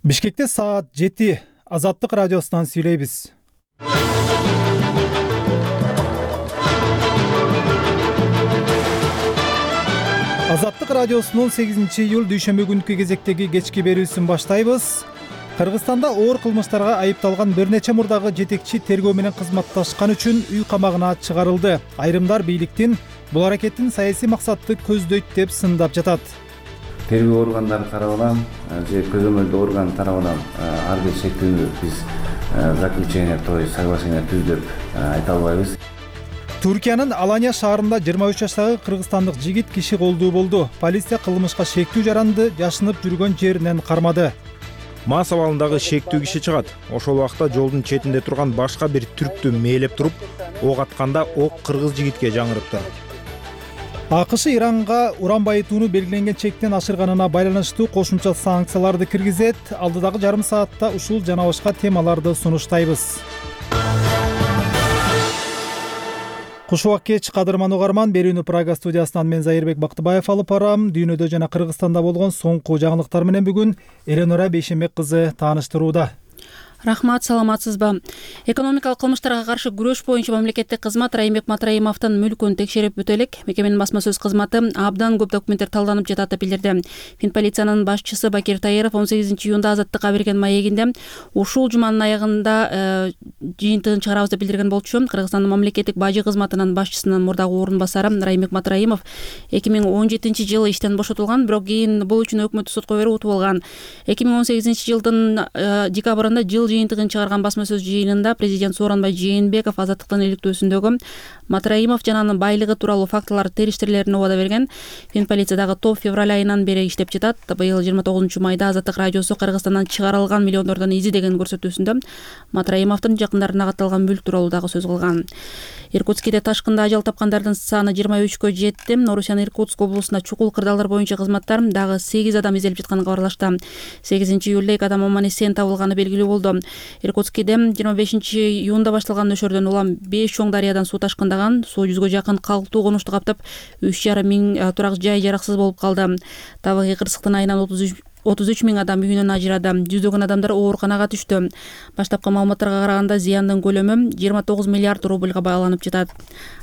Бишкекте саат 7 Азаттык радиосунан сүйлөйбүз. Азаттык радиосунун 8-июль дүйшөмбү күнкү кезектеги кечки берүүсүн баштайбыз. Кыргызстанда оор кылмыштарга айыпталган бир нече мурдагы жетекчи тергөө менен кызматташкан үчүн үй камагына чыгарылды. Айрымдар бийликтин бул аракетин саясий максатты көздөйт деп сындап жатат. Тергөө органдары тарабынан же көзөмөлдүү орган тарабынан ар бир шектүүнү биз заключение, то есть соглашение түз деп айта албайбыз. Түркиянын Алания шаарында 23 жаштагы кыргызстандык жигит киши колдуу болду. Полиция кылмышка шектүү жаранды жашынып жүргөн жеринен кармады. Мас абалындагы шектүү киши чыгат. Ошол убакта жолдун четинде турган башка бир түрктү мээлеп туруп, ок атканда ок кыргыз жигитке жаңырыптыр. АКШ Иранга уран байытууну белгиленген чектен ашырганына байланыштуу кошумча санкцияларды киргизет. Алдыдагы жарым саатта ушул жана башка темаларды сунуштайбыз. Куш убак кеч, кадырман угарман. Берүүнү Прага студиясынан мен Зайырбек Бактыбаев алып барам. Дүйнөдө жана Кыргызстанда болгон соңку жаңылыктар менен бүгүн Эленора Бейшенбек кызы тааныштырууда. Рахмат, саламатсызбы? Экономикалык кылмыштарга каршы күрөш боюнча мамлекеттик кызмат Райымбек Матраимовдун мүлкүн текшерип өтө элек. Мекеменин басма сөз кызматы абдан көп документтер талданып жатат деп билдирди. Финполициянын башчысы Бакир Таиров 18-июнда Азаттыкка берген маегинде ушул жуманын аягында жыйынтыгын чыгарабыз деп билдирген болчу. Кыргызстандын мамлекеттик бажы кызматынын башчысынын мурдагы орун басары Райымбек Матраимов 2017-жылы иштен бошотулган, бирок кийин бул үчүн өкмөттүк сотко берип утуп алган. 2018-жылдын декабрында жыл жыйынтыгын чыгарган басма сөз жыйынында президент Сооронбай Жээнбеков Азаттыктын иликтөөсүндөгү Матраимов жана анын байлыгы тууралуу фактылар териштирилерин убада берген. Финполициядагы топ февраль айынан бери иштеп жатат. Быйыл 29-майда Азаттык радиосу Кыргызстандан чыгарылган миллиондордон изи деген көрсөтүүсүндө Матраимовдун жакындарына катталган бүлк тууралуу дагы сөз кылган. Иркутскиде ташкында ажал тапкандардын саны 23кө жетти. Орусиянын Иркутск облусунда чукул кырдаалдар боюнча кызматтар дагы 8 адам изделип жатканын кабарлашты. 8-июлда 2 адам аман эсен табылганы белгилүү болду. Иркутскиде 25-июнда башталган нөшөрдөн улам 5 чоң дарыядан суу ташкындаган. Суу 100гө жакын калктуу конушту каптап, 3,5 миң турак жай жараксыз болуп калды. Табигый кырсыктын айынан 33 миң адам үйүнөн ажырады. Жүздөгөн адамдар ооруканага түштү. Баштапкы маалыматтарга караганда зыяндын көлөмү 29 миллиард рубльга бааланып жатат.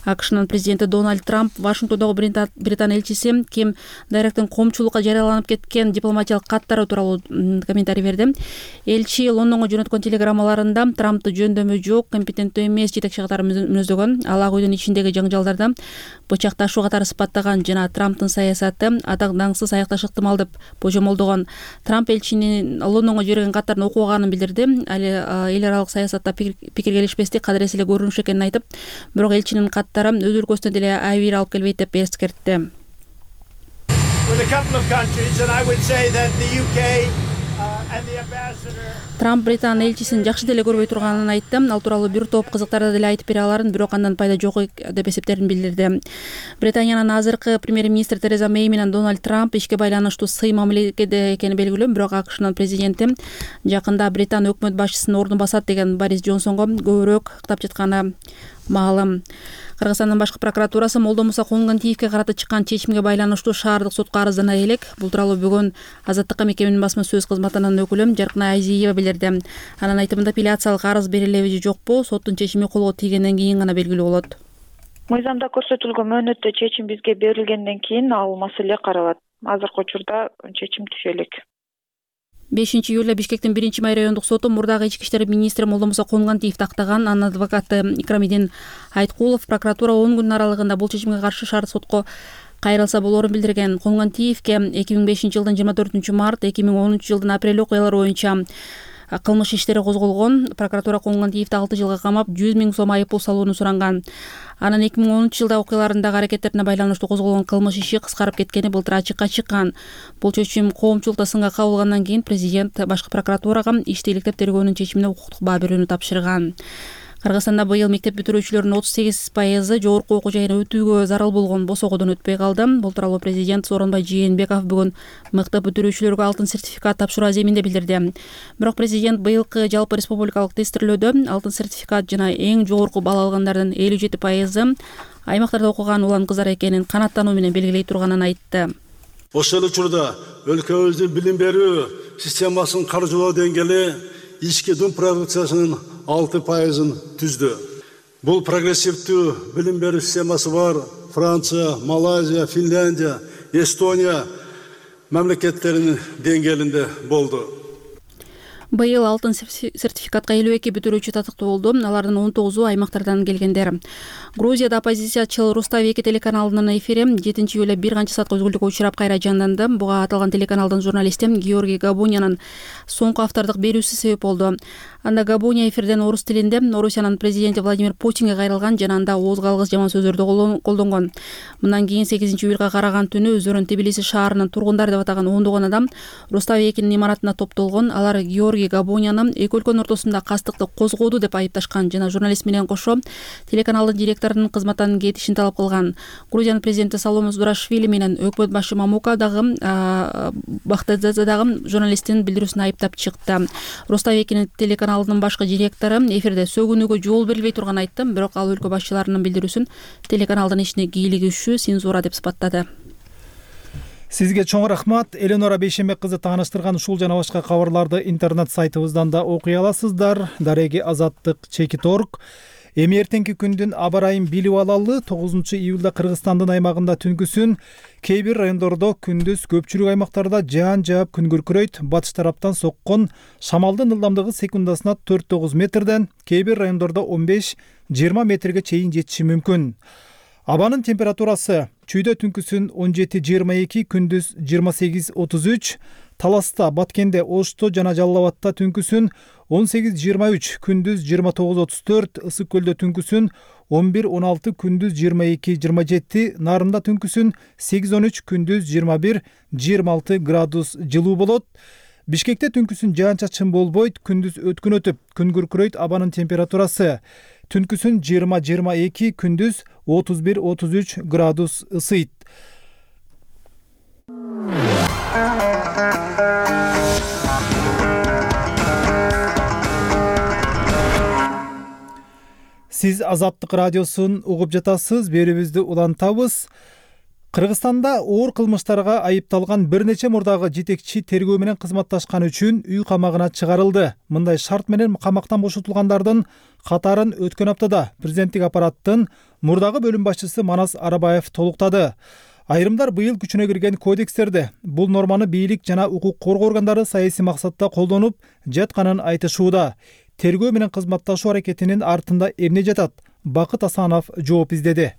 АКШнын президенти Дональд Трамп Вашингтондогу Британ элчиси Ким Дайректин коомчулукка жарыяланып кеткен дипломатиялык каттары тууралуу комментарий берди. Элчи Лондонго жөнөткөн телеграммаларында Трампты жөндөмү жок, компетенттүү эмес жетекчи катары мүнөздөгөн, ал ак үйдүн ичиндеги жаңжалдарды бычакташуу катары сыпаттаган жана Трамптын саясаты атак даңсыз аякташы ыктымал деп божомолдогон. Трамп элчинин Лондонго жиберген каттарын окуганын билдирди. Эл аралык саясатта пикиргелешпестик кадырес эле көрүнүш экенин айтып, бирок элчинин каттары өз өлкөсүнө деле айбир алып келбейт деп эскертти. Трамп Британ элчисин жакшы деле көрбөй турганын айтты. Ал тууралуу бир топ кызыктарды деле айтып бере аларын, бирок андан пайда жок деп эсептерин билдирди. Британиянын азыркы премьер-министри Тереза Мэй менен Дональд Трамп ишке байланыштуу сый мамиледе экени белгилүү, бирок АКШнын президенти жакында Британ өкмөт башчысынын ордун басат деген Борис Джонсонго көбүрөөк ыктап жатканы маалым. Кыргызстандын башкы прокуратурасы Молдомуса Коонгантиевке карата чыккан чечимге байланыштуу шаардык сотко арыздана элек. Бул тууралуу бүгүн Азаттыкка мекеменин басма сөз кызматынын өкүлү Жаркына Айзиева билдирди. Анын айтымында апелляциялык арыз берилеби же жокпу, соттун чечими колго тийгенден кийин гана белгилүү болот. Мыйзамда көрсөтүлгөн мөөнөттө чечим бизге берилгенден кийин ал маселе каралат. Азыркы учурда чечим түшө элек. 5-июлда Бишкектин 1-май райондук соту мурдагы ички иштер министри Молдомуса Коонгантиевди актаган. Анын адвокаты Икрамидин Айткулов прокуратура 10 күн аралыгында бул чечимге каршы шаар сотко кайрылса болоорун билдирген. Коонгантиевке 2005-жылдын 24-март, 2010-жылдын апрель окуялары боюнча кылмыш иштери козголгон. Прокуратура Коонгантиевди 6 жылга камап, 100 миң сом айыппул салууну суранган. Анын 2010-жылда окуяларындагы аракеттерине байланыштуу козголгон кылмыш иши кыскарып кеткени былтыр ачыкка чыккан. Бул чечим коомчулукта сынга кабылгандан кийин президент башкы прокуратурага ишти иликтеп тергөөнүн чечимине укуктук баа берүүнү тапшырган. Кыргызстанда быйыл мектеп бүтүрүүчүлөрүнүн 38% жогорку окуу жайына өтүүгө зарыл болгон босогодон өтпөй калды. Бул тууралуу президент Сооронбай Жээнбеков бүгүн мектеп бүтүрүүчүлөргө алтын сертификат тапшыруу аземинде билдирди. Бирок президент быйылкы жалпы республикалык тестирлөөдө алтын сертификат жана эң жогорку балл алгандардын 57% аймактарда окуган улан кыздар экенин канааттануу менен белгилей турганын айтты. Ошол учурда өлкөбүздүн билим берүү системасынын каржылоо деңгээли ички дун продукциясынын 6%-ын түздү. Бул прогрессивдүү билим берүү системасы бар Франция, Малайзия, Финляндия, Эстония мамлекеттеринин деңгээлинде болду. Быйыл алтын сертификатка 52 бүтүрүүчү татыктуу болду. Алардын 19-у аймактардан келгендер. Грузияда оппозициячыл Рустави 2 телеканалынын эфири 7-июлда бир канча саатка үзгүлтүккө учурап кайра жанданды. Буга аталган телеканалдын журналисти Георгий Габунянын соңку автордук берүүсү себеп болду. Анда Габуня эфирден орус тилинде Орусиянын президенти Владимир Путинге кайрылган жана анда ооз калгыс жаман сөздөрдү колдонгон. Мындан кийин 8-июлга караган түнү өздөрүн Тбилиси шаарынын тургундары деп атаган ондогон адам Рустави 2-нин имаратына топтолгон. Алар Георгий Габуняны эки өлкөнүн ортосунда кастыкты козгоду деп айыпташкан жана журналист менен кошо телеканалдын директорунун кызматтан кетишин талап кылган. Грузиянын президенти Саломе Зурашвили менен өкмөт башы Мамука дагы Бахтадзе дагы журналисттин билдирүүсүн айыптап чыкты. Рустави 2 телеканалынын башкы директору эфирде сөгүнүүгө жол берилбей турганын айтты, бирок ал өлкө башчыларынын билдирүүсүн телеканалдын ишине кийлигишүү цензура деп сыпаттады. Сизге чоң рахмат. Эленора Бейшембек кызы тааныштырган ушул жана башка кабарларды интернет сайтыбыздан да окуй аласыздар. Дареги Азаттык Чекит.org. Эми эртеңки күндүн аба ырайын билип алалы. 9-июлда Кыргызстандын аймагында түнкүсүн кээ бир райондордо, күндүз көпчүлүк аймактарда жаан жаап күн күркүрөйт. Батыш тараптан соккон шамалдын ылдамдыгы секундасына 4-9 метрден, кээ бир райондордо 15-20 метрге чейин жетиши мүмкүн. Абанын температурасы чүйдө түнкүсүн 17-22, күндүз 28-33, Таласта, Баткенде, Ошто жана Жалал Абадта түнкүсүн 18-23, күндүз 29-34, Ысык көлдө түнкүсүн 11-16, күндүз 22-27, Нарында түнкүсүн 8-13, күндүз 21-26 градус жылуу болот. Бишкекте түнкүсүн жаан-чачын болбойт, күндүз өткүн өтүп, күн күркүрөйт. Абанын температурасы түнкүсүн 20-22, күндүз 31-33 градус ысыйт. Сиз Азаттык радиосун угуп жатасыз, берүүбүздү улантабыз. Кыргызстанда оор кылмыштарга айыпталган бир нече мурдагы жетекчи тергөө менен кызматташкан үчүн үй камагына чыгарылды. Мындай шарт менен камактан бошотулгандардын катарын өткөн аптада президенттик аппараттын мурдагы бөлүм башчысы Манас Арабаев толуктады. Айрымдар быйыл күчүнө кирген кодекстерде бул норманы бийлик жана укук коргоо органдары саясий максатта колдонуп жатканын айтышууда. Тергөө менен кызматташуу аракетинин артында эмне жатат? Бакыт Асанов жооп издеди.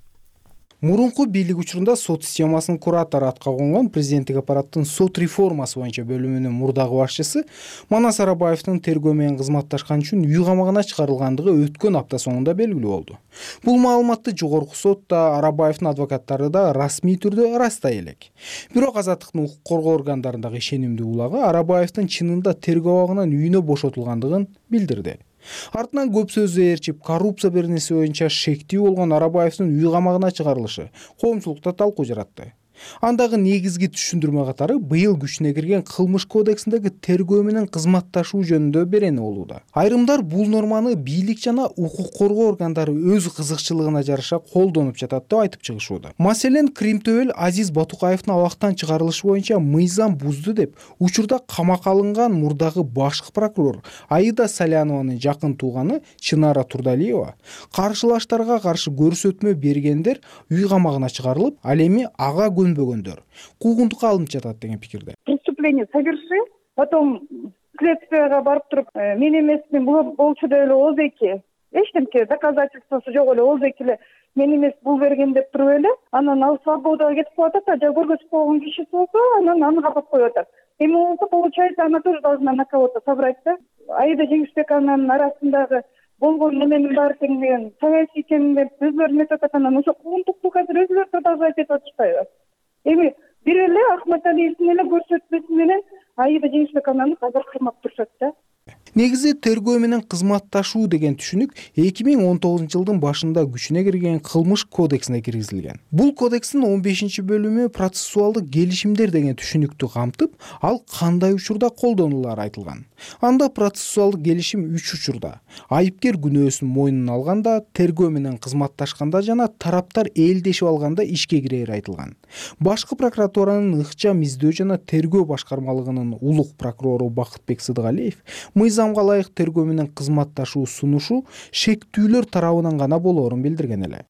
Мурунку бийлик учурунда сот системасынын куратору атка конгон президенттик аппараттын сот реформасы боюнча бөлүмүнүн мурдагы башчысы Манас Арабаевдин тергөө менен кызматташкан үчүн үй камагына чыгарылгандыгы өткөн апта соңунда белгилүү болду. Бул маалыматты жогорку сот да, Арабаевдин адвокаттары да расмий түрдө ырастай элек. Бирок Азаттыктын укук коргоо органдарындагы ишенимдүү улагы Арабаевдин чынында тергөө абагынан үйүнө бошотулгандыгын билдирди. Артынан көп сөздү ээрчип, коррупция беренеси боюнча шектүү болгон Арабаевдин үй камагына чыгарылышы коомчулукта талкуу жаратты. Андагы негизги түшүндүрмө катары быйыл күчүнө кирген кылмыш кодексиндеги тергөө менен кызматташуу жөнүндө берени болууда. Айрымдар бул норманы бийлик жана укук коргоо органдары өз кызыкчылыгына жараша колдонуп жатат деп айтып чыгышууда. Маселен, Кримтөбөл Азиз Батукаевдин абактан чыгарылышы боюнча мыйзам бузду деп учурда камакка алынган мурдагы башкы прокурор Аида Салянованын жакын тууганы Чынара Турдалиева каршылаштарга каршы көрсөтмө бергендер үй камагына чыгарылып, ал эми ага көнбөгөндөр куугунтукка алынып жатат деген пикирде. Преступление совершил, потом следствияга барып туруп, мен эмесмин, бул болчу деп эле ооз-эки. Эчтемке доказательствосу жок эле ооз-эки эле мен эмес бул берген деп туруп эле, анан ал свободага кетип калат, а көргөзүп койгон кишиси болсо, анан аны капап коюп атат. Эми болсо, получается, она тоже должна на кого-то собрать, да? Аида Жеңишбековнун арасындагы болгон неменин баары тең деген саясий экенин деп өзлөрү метип атат, анан ошо куугунтукту азыр өзүлөрү продолжать этип атышпайбы? Эми бир эле Ахматалиевдин эле көрсөтмөсү менен Аида Жеңишбековнаны азыр кырмап турушат да. Негизи тергөө менен кызматташуу деген түшүнүк 2019-жылдын башында күчүнө кирген кылмыш кодексине киргизилген. Бул кодекстин 15-бөлүмү процессуалдык келишимдер деген түшүнүктү камтып, ал кандай учурда колдонулары айтылган. Анда процессуалдык келишим 3 учурда: айыпкер күнөөсүн мойнуна алганда, тергөө менен кызматташканда жана тараптар элдешип алганда ишке кирери айтылган. Башкы прокуратуранын ыкчам издөө жана тергөө башкармалыгынын улук прокурору Бакытбек Сыдыгалиев мыйзамга ылайык тергөө менен кызматташуу сунушу шектүүлөр тарабынан гана болоорун билдирген эле.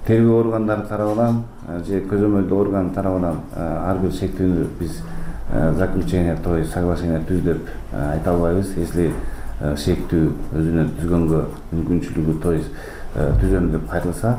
Тергөө органдары тарабынан же көзөмөлдүү орган тарабынан ар бир шектүүнү биз заключение, то есть соглашение түз деп айта албайбыз. Если шектүү өзүнүн түзгөнгө мүмкүнчүлүгү, то есть түзөм деп кайрылса,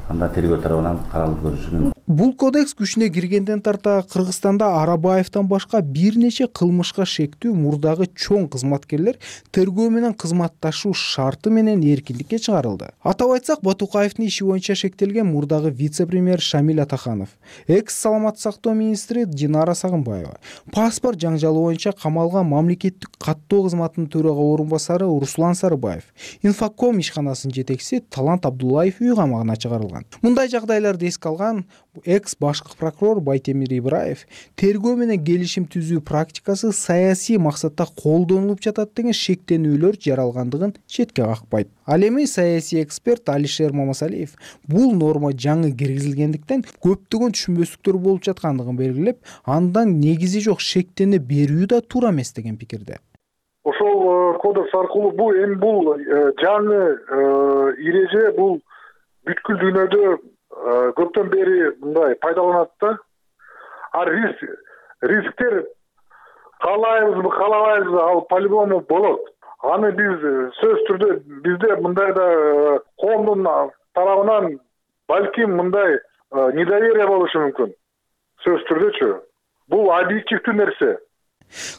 анда тергөө тарабынан каралып көрүшү мүмкүн. Бул кодекс күчүнө киргенден тарта Кыргызстанда Арабаевден башка бир нече кылмышка шектүү мурдагы чоң кызматкерлер тергөө менен кызматташуу шарты менен эркиндикке чыгарылды. Атап айтсак, Батукаевдин иши боюнча шектелген мурдагы вице-премьер Шамиль Атаханов, экс-саламаттык сактоо министри Динара Сагынбаева, паспорт жаңжалы боюнча камалган мамлекеттик каттоо кызматынын төрага орун басары Руслан Сарыбаев, Инфоком ишканасынын жетекчиси Талант Абдуллаев үй камагына чыгарылган. Мындай жагдайларды эске алган экс-башкы прокурор Байтемир Ибраев тергөө менен келишим түзүү практикасы саясий максатта колдонулуп жатат деген шектенүүлөр жаралгандыгын четке какпайт. Ал эми саясий эксперт Алишер Мамасалиев бул норма жаңы киргизилгендиктен көптөгөн түшүнбөстүктөр болуп жаткандыгын белгилеп, андан негизи жок шектене берүү да туура эмес деген пикирде. Ошол кодекс аркылуу бул жаңы эреже бул бүткүл дүйнөдө көптөн бери мындай пайдаланат да. Рисктер каалайбызбы, каалабайбызбы, ал по-любому болот. Аны биз сөзсүз түрдө бизде мындай да коомдун тарабынан балким мындай недоверие болушу мүмкүн. Сөзсүз түрдөчү. Бул объективдүү нерсе.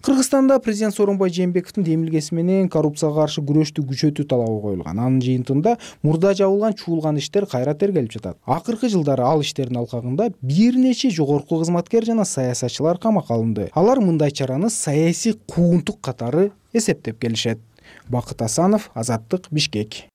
Кыргызстанда президент Сооронбай Жээнбековдун демилгеси менен коррупцияга каршы күрөштү күчөтүү талабы коюлган. Анын жыйынтыгында мурда жабылган чуулган иштер кайра тергелип жатат. Акыркы жылдары ал иштердин алкагында бир нече жогорку кызматкер жана саясатчылар камакка алынды. Алар мындай чараны саясий куугунтук катары эсептеп келишет. Бакыт Асанов, Азаттык, Бишкек.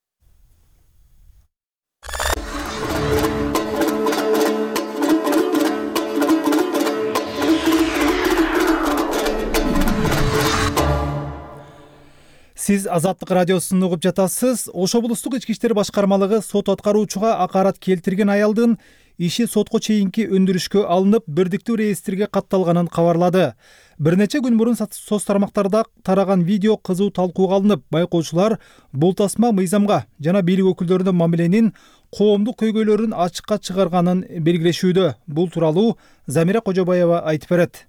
Сиз Азаттык радиосун угуп жатасыз. Ош облустук ички иштер башкармалыгы сот аткаруучуга акарат келтирген аялдын иши сотко чейинки өндүрүшкө алынып, бирдиктүү реестрге катталганын кабарлады. Бир нече күн мурун соц тармактарда тараган видео кызуу талкууга алынып, байкоочулар бул тасма мыйзамга жана бийлик өкүлдөрүнө мамиленин коомдук көйгөйлөрүн ачыкка чыгарганын белгилешүүдө. Бул тууралуу Замира Кожобаева айтып берет.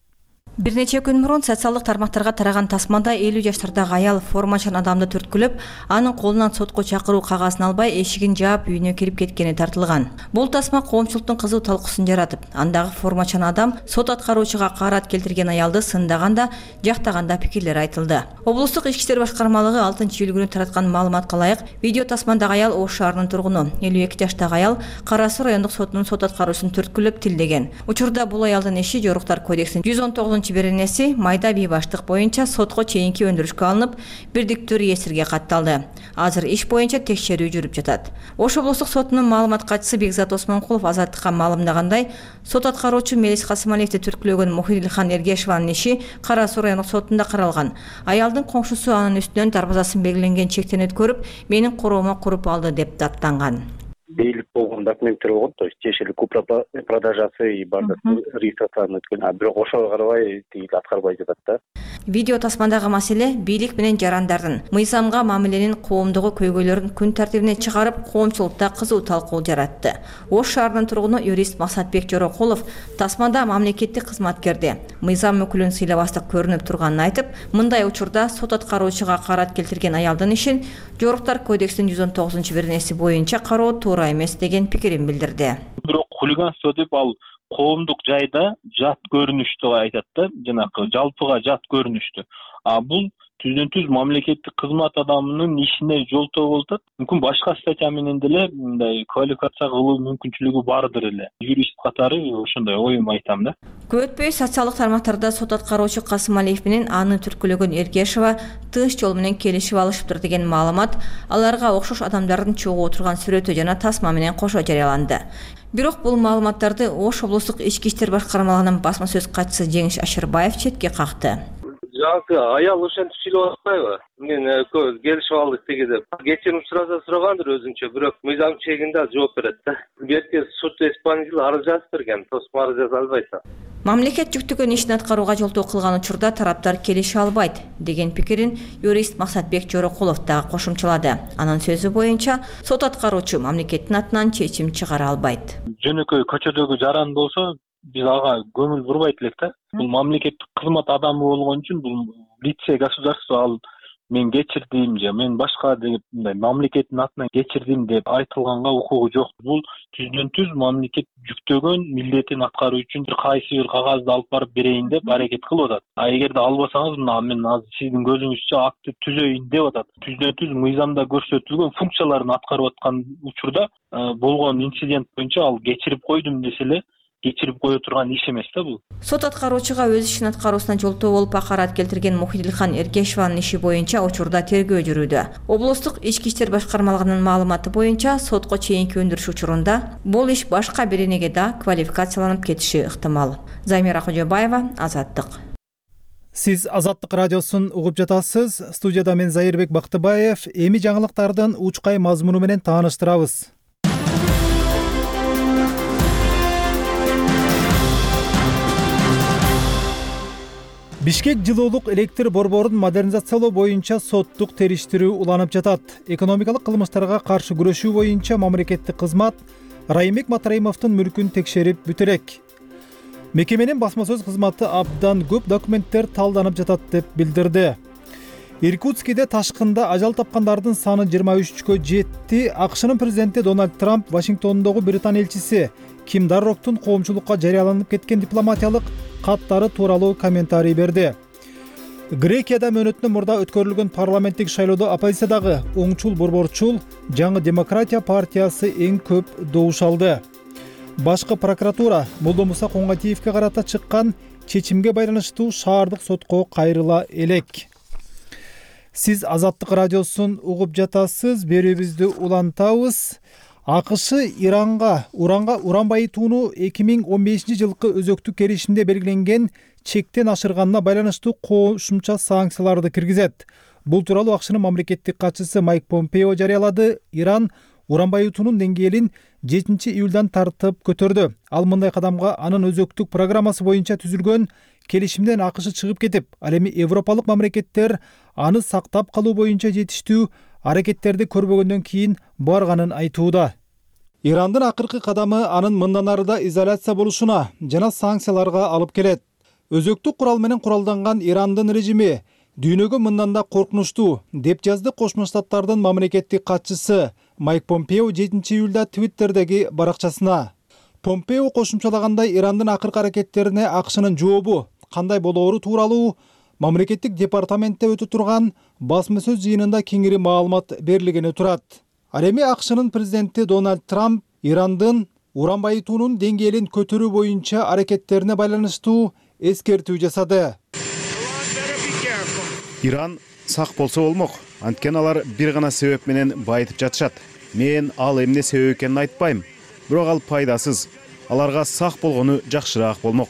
Бир нече күн мурун социалдык тармактарга тараган тасмада 50 жаштардагы аял формачан адамды түрткүлөп, анын колунан сотко чакыруу кагазын албай эшигин жаап үйүнө кирип кеткени тартылган. Бул тасма коомчулуктун кызуу талкуусун жаратып, андагы формачан адам сот аткаруучуга акарат келтирген аялды сындаганда, жактаганда пикирлер айтылды. Облустук ички иштер башкармалыгы 6-июль күнү тараткан маалыматка ылайык, видео тасмандагы аял Ош шаарынын тургуну, 52 жаштагы аял Кара Суу райондук сотунун сот аткаруучусун түрткүлөп тилдеген. Учурда бул аялдын иши Жоруктар кодексинин 119 беренеси майда бийбаштык боюнча сотко чейинки өндүрүшкө алынып, бирдиктүү реестрге катталды. Азыр иш боюнча текшерүү жүрүп жатат. Ош облустук сотунун маалымат катчысы Бекзат Осмонкулов Азаттыкка маалымдагандай, сот аткаруучу Мелис Касымалиевди түрткүлөгөн Мухидилхан Эргешеванын иши Кара Суу райондук сотунда каралган. Аялдын коңшусу анын үстүнөн дарбазасын белгиленген чектен өткөрүп, менин короомо куруп алды деп даттанган. Бейлик болгон документтер болгон, то есть тиешелүү купла продажасы и бардык регистрациядан өткөн, бирок ошого карабай тигил аткарбай жатат да. Видео тасмандагы маселе бийлик менен жарандардын мыйзамга мамиленин коомдогу көйгөйлөрүн күн тартибине чыгарып, коомчулукта кызуу талкуу жаратты. Ош шаарынын тургуну юрист Максатбек Жорокулов тасмада мамлекеттик кызматкерди мыйзам өкүлүн сыйлабастык көрүнүп турганын айтып, мындай учурда сот аткаруучуга акарат келтирген аялдын ишин Жоруктар кодексинин 119 беренеси боюнча кароо туура эмес деген пикирин билдирди. Бирок хулиганство деп ал коомдук жайда жат көрүнүштү айтат да, жанакы жалпыга жат көрүнүштү. Бул түздөн түз мамлекеттик кызмат адамынын ишине жолтоо болуп атат. Мүмкүн башка статья менен деле мындай квалификация кылуу мүмкүнчүлүгү бардыр эле. Юрист катары ошондой оюм айтам да. Көп өтпөй социалдык тармактарда сот аткаруучу Касымалиев менен аны түрткүлөгөн Эргешова тыныч жол менен келишип алышыптыр деген маалымат аларга окшош адамдардын чогуу отурган сүрөтү жана тасма менен кошо жарыяланды. Бирок бул маалыматтарды Ош облустук ички иштер башкармалыгынын басма сөз катчысы Жеңиш Ашырбаев четке какты. Жаңы аял ошентип сүйлөп атпайбы? Мен келишип алдык деги деп. Кечирим сурагандыр өзүнчө, бирок мыйзам чегинде жооп берет да. Берки суд исполнитель арыз жазып берген, тосма арыз жаза албайт. Мамлекет жүктөгөн ишин аткарууга жолтоо кылган учурда тараптар келише албайт деген пикирин юрист Максатбек Жорокулов да кошумчалады. Анын сөзү боюнча, сот аткаруучу мамлекеттин атынан чечим чыгара албайт. Жөнөкөй көчөдөгү жаран болсо, биз ага көңүл бурбайт элек да. Бул мамлекеттик кызмат адамы болгон үчүн бул лице государства ал мен кечирдим же мен башка деп мындай мамлекеттин атынан кечирдим деп айтылганга укугу жок. Бул түздөн түз мамлекет жүктөгөн милдетин аткаруу үчүн кайсы бир кагазды алып барып берейин деп аракет кылып атат. Эгерде албасаңыз мына мен азыр сиздин көзүңүзчө акты түзөйүн деп атат. Түздөн түз мыйзамда көрсөтүлгөн функцияларын аткарып аткан учурда болгон инцидент боюнча ал кечирип койдум десе эле кечирип кое турган иш эмес да бул. Сот аткаруучуга өз ишин аткаруусуна жолтоо болуп акарат келтирген Мухидилхан Эргешеванын иши боюнча учурда тергөө жүрүүдө. Облустук ички иштер башкармалыгынын маалыматы боюнча сотко чейинки өндүрүш учурунда бул иш башка бир энеге да квалификацияланып кетиши ыктымал. Замира Кожобаева, Азаттык. Сиз Азаттык радиосун угуп жатасыз. Студияда мен Зайырбек Бактыбаев. Эми жаңылыктардын учкай мазмуну менен тааныштырабыз. Бишкек жылуулук электр борборун модернизациялоо боюнча соттук териштирүү уланып жатат. Экономикалык кылмыштарга каршы күрөшүү боюнча мамлекеттик кызмат Райымбек Матраимовдун мүлкүн текшерип бүтө элек. Мекеменин басма сөз кызматы абдан көп документтер талданып жатат деп билдирди. Иркутскиде ташкында ажал тапкандардын саны 23-кө жетти. АКШнын президенти Дональд Трамп Вашингтондогу Британ элчиси Ким Дарроктун коомчулукка жарыяланып кеткен дипломатиялык каттары тууралуу комментарий берди. Грекияда мөөнөтүнөн мурда өткөрүлгөн парламенттик шайлоодо оппозициядагы оңчул борборчул Жаңы демократия партиясы эң көп добуш алды. Башкы прокуратура Молдомуса Коңгатиевке карата чыккан чечимге байланыштуу шаардык сотко кайрыла элек. Сиз Азаттык радиосун угуп жатасыз. Берүүбүздү улантабыз. АКШ Иранга уран байытууну 2015-жылкы өзөктүк келишимде белгиленген чектен ашырганына байланыштуу кошумча санкцияларды киргизет. Бул тууралуу АКШнын мамлекеттик катчысы Майк Помпео жарыялады. Иран уран байытуунун деңгээлин 7-июлдан тартып көтөрдү. Ал мындай кадамга анын өзөктүк программасы боюнча түзүлгөн келишимден АКШ чыгып кетип, ал эми европалык мамлекеттер аны сактап калуу боюнча жетиштүү аракеттерди көрбөгөндөн кийин барганын айтууда. Ирандын акыркы кадамы анын мындан арыда изоляция болушуна жана санкцияларга алып келет. Өзөктүк курал менен куралданган Ирандын режими дүйнөгө мындан да коркунучтуу деп жазды Кошмо Штаттардын мамлекеттик катчысы Майк Помпео 7-июлда Твиттердеги баракчасына. Помпео кошумчалагандай Ирандын акыркы аракеттерине АКШнын жообу кандай болоору тууралуу мамлекеттик департаментте өтө турган басма сөз жыйынында кеңири маалымат берилгени турат. Ал эми АКШнын президенти Дональд Трамп Ирандын уран байытуунун деңгээлин көтөрүү боюнча аракеттерине байланыштуу эскертүү жасады. Иран сак болсо болмок. Анткени алар бир гана себеп менен байытып жатышат. Мен ал эмне себеп экенин айтпайм, бирок ал пайдасыз. Аларга сак болгону жакшыраак болмок.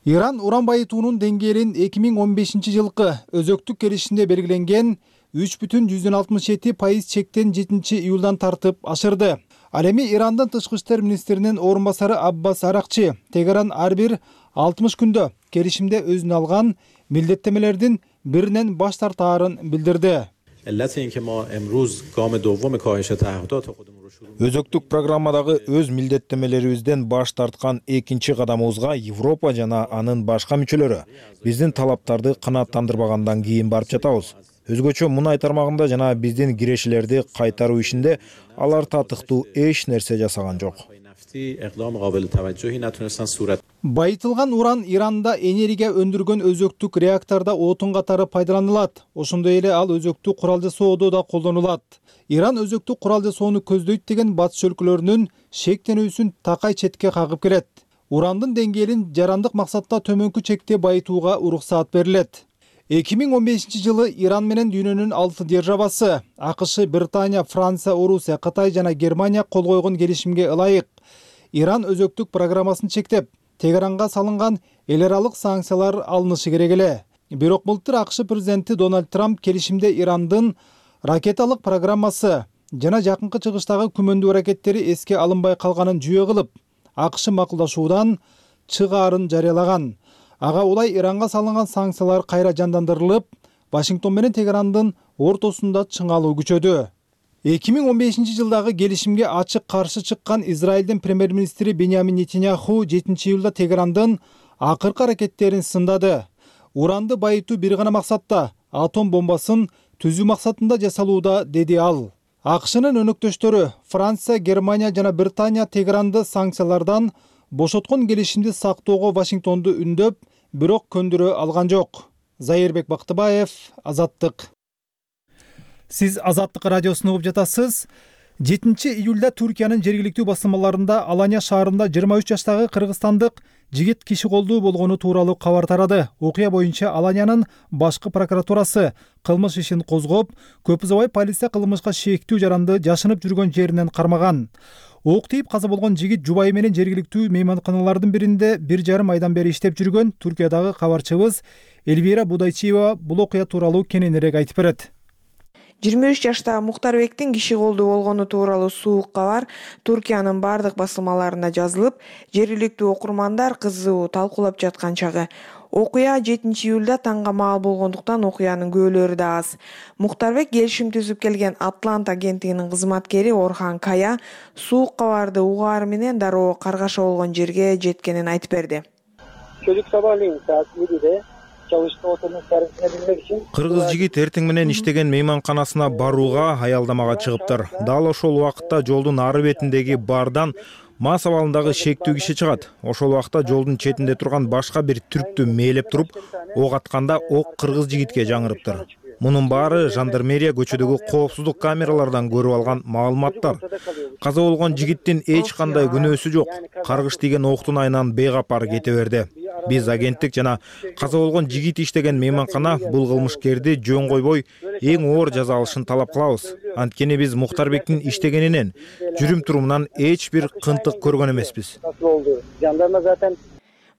Иран уран байытуунун деңгээлин 2015-жылкы өзөктүк келишимде белгиленген 3,67% чектен 7-июлдан тартып ашырды. Ал эми Ирандын тышкы иштер министринин орун басары Аббас Аракчы Тегеран ар бир 60 күндө келишимде өзүнө алган милдеттемелердин биринен баш тартаарын билдирди. Өзөктүк программадагы өз милдеттемелерибизден баш тарткан экинчи кадамыбызга Европа жана анын башка мүчөлөрү биздин талаптарды канааттандырбагандан кийин барып жатабыз. Өзгөчө мунай тармагында жана биздин кирешелерди кайтаруу ишинде алар татыктуу эч нерсе жасаган жок. Байытылган уран Иранда энергия өндүргөн өзөктүк реактордо отун катары пайдаланылат. Ошондой эле ал өзөктүк курал жасоодо да колдонулат. Иран өзөктүк курал жасоону көздөйт деген батыш өлкөлөрүнүн шектенүүсүн такай четке кагып келет. Урандын деңгээлин жарандык максатта төмөнкү чекте байытууга уруксаат берилет. 2015-жылы Иран менен дүйнөнүн 6 державасы АКШ, Британия, Франция, Орусия, Кытай жана Германия кол койгон келишимге ылайык Иран өзөктүк программасын чектеп, Тегеранга салынган эл аралык санкциялар алынышы керек эле. Бирок былтыр АКШ президенти Дональд Трамп келишимде Ирандын ракеталык программасы жана жакынкы чыгыштагы күмөндүү ракеттери эске алынбай калганын жүйө кылып, АКШ макулдашуудан чыгаарын жарыялаган. Ага улай Иранга салынган санкциялар кайра жандандырылып, Вашингтон менен Тегерандын ортосунда чыңалуу күчөдү. 2015-жылдагы келишимге ачык каршы чыккан Израилдин премьер-министри Беньямин Нетаньяху 7-июлда Тегерандын акыркы аракеттерин сындады. Уранды байытуу бир гана максатта, атом бомбасын түзүү максатында жасалууда, деди ал. АКШнын өнөктөштөрү Франция, Германия жана Британия Тегеранды санкциялардан бошоткон келишимди сактоого Вашингтонду үндөп, бирок көндүрө алган жок. Зайырбек Бактыбаев, Азаттык. Сиз Азаттык радиосун угуп жатасыз. 7-июлда Туркиянын жергиликтүү басылмаларында Алания шаарында 23 жаштагы кыргызстандык жигит киши колдуу болгону тууралуу кабар тарады. Окуя боюнча Аланиянын башкы прокуратурасы кылмыш ишин козгоп, көп узабай полиция кылмышка шектүү жаранды жашынып жүргөн жеринен кармаган. Ок тийип каза болгон жигит жубайы менен жергиликтүү мейманканалардын биринде 1,5 айдан бери иштеп жүргөн. Түркиядагы кабарчыбыз Эльвира Будайчиева бул окуя тууралуу кененирээк айтып берет. 23 жаштагы Мухтарбектин киши колдуу болгону тууралуу суук кабар Туркиянын бардык басылмаларында жазылып, жергиликтүү окурмандар кызуу талкуулап жаткан чагы. Окуя 7-июлда таңга маал болгондуктан окуянын күбөлөрү да аз. Мухтарбек келишим түзүп келген Атлант агенттигинин кызматкери Орхан Кая суук кабарды угаары менен дароо каргаша болгон жерге жеткенин айтып берди. Кыргыз жигит эртең менен иштеген мейманканасына барууга аялдамага чыгыптыр. Дал ошол убакытта жолдун ары бетиндеги бардан мас абалындагы шектүү киши чыгат. Ошол убакта жолдун четинде турган башка бир түрктү мээлеп туруп, ок атканда ок кыргыз жигитке жаңырыптыр. Мунун баары жандармерия көчөдөгү коопсуздук камералардан көрүп алган маалыматтар. Каза болгон жигиттин эч кандай күнөөсү жок. Каргыш тийген октун айынан бейкапар кете берди. Биз агенттик жана каза болгон жигит иштеген мейманкана бул кылмышкерди жөн койбой эң оор жаза алышын талап кылабыз. Анткени биз Мухтарбектин иштегенинен, жүрүм турумунан эч бир кынтык көргөн эмеспиз.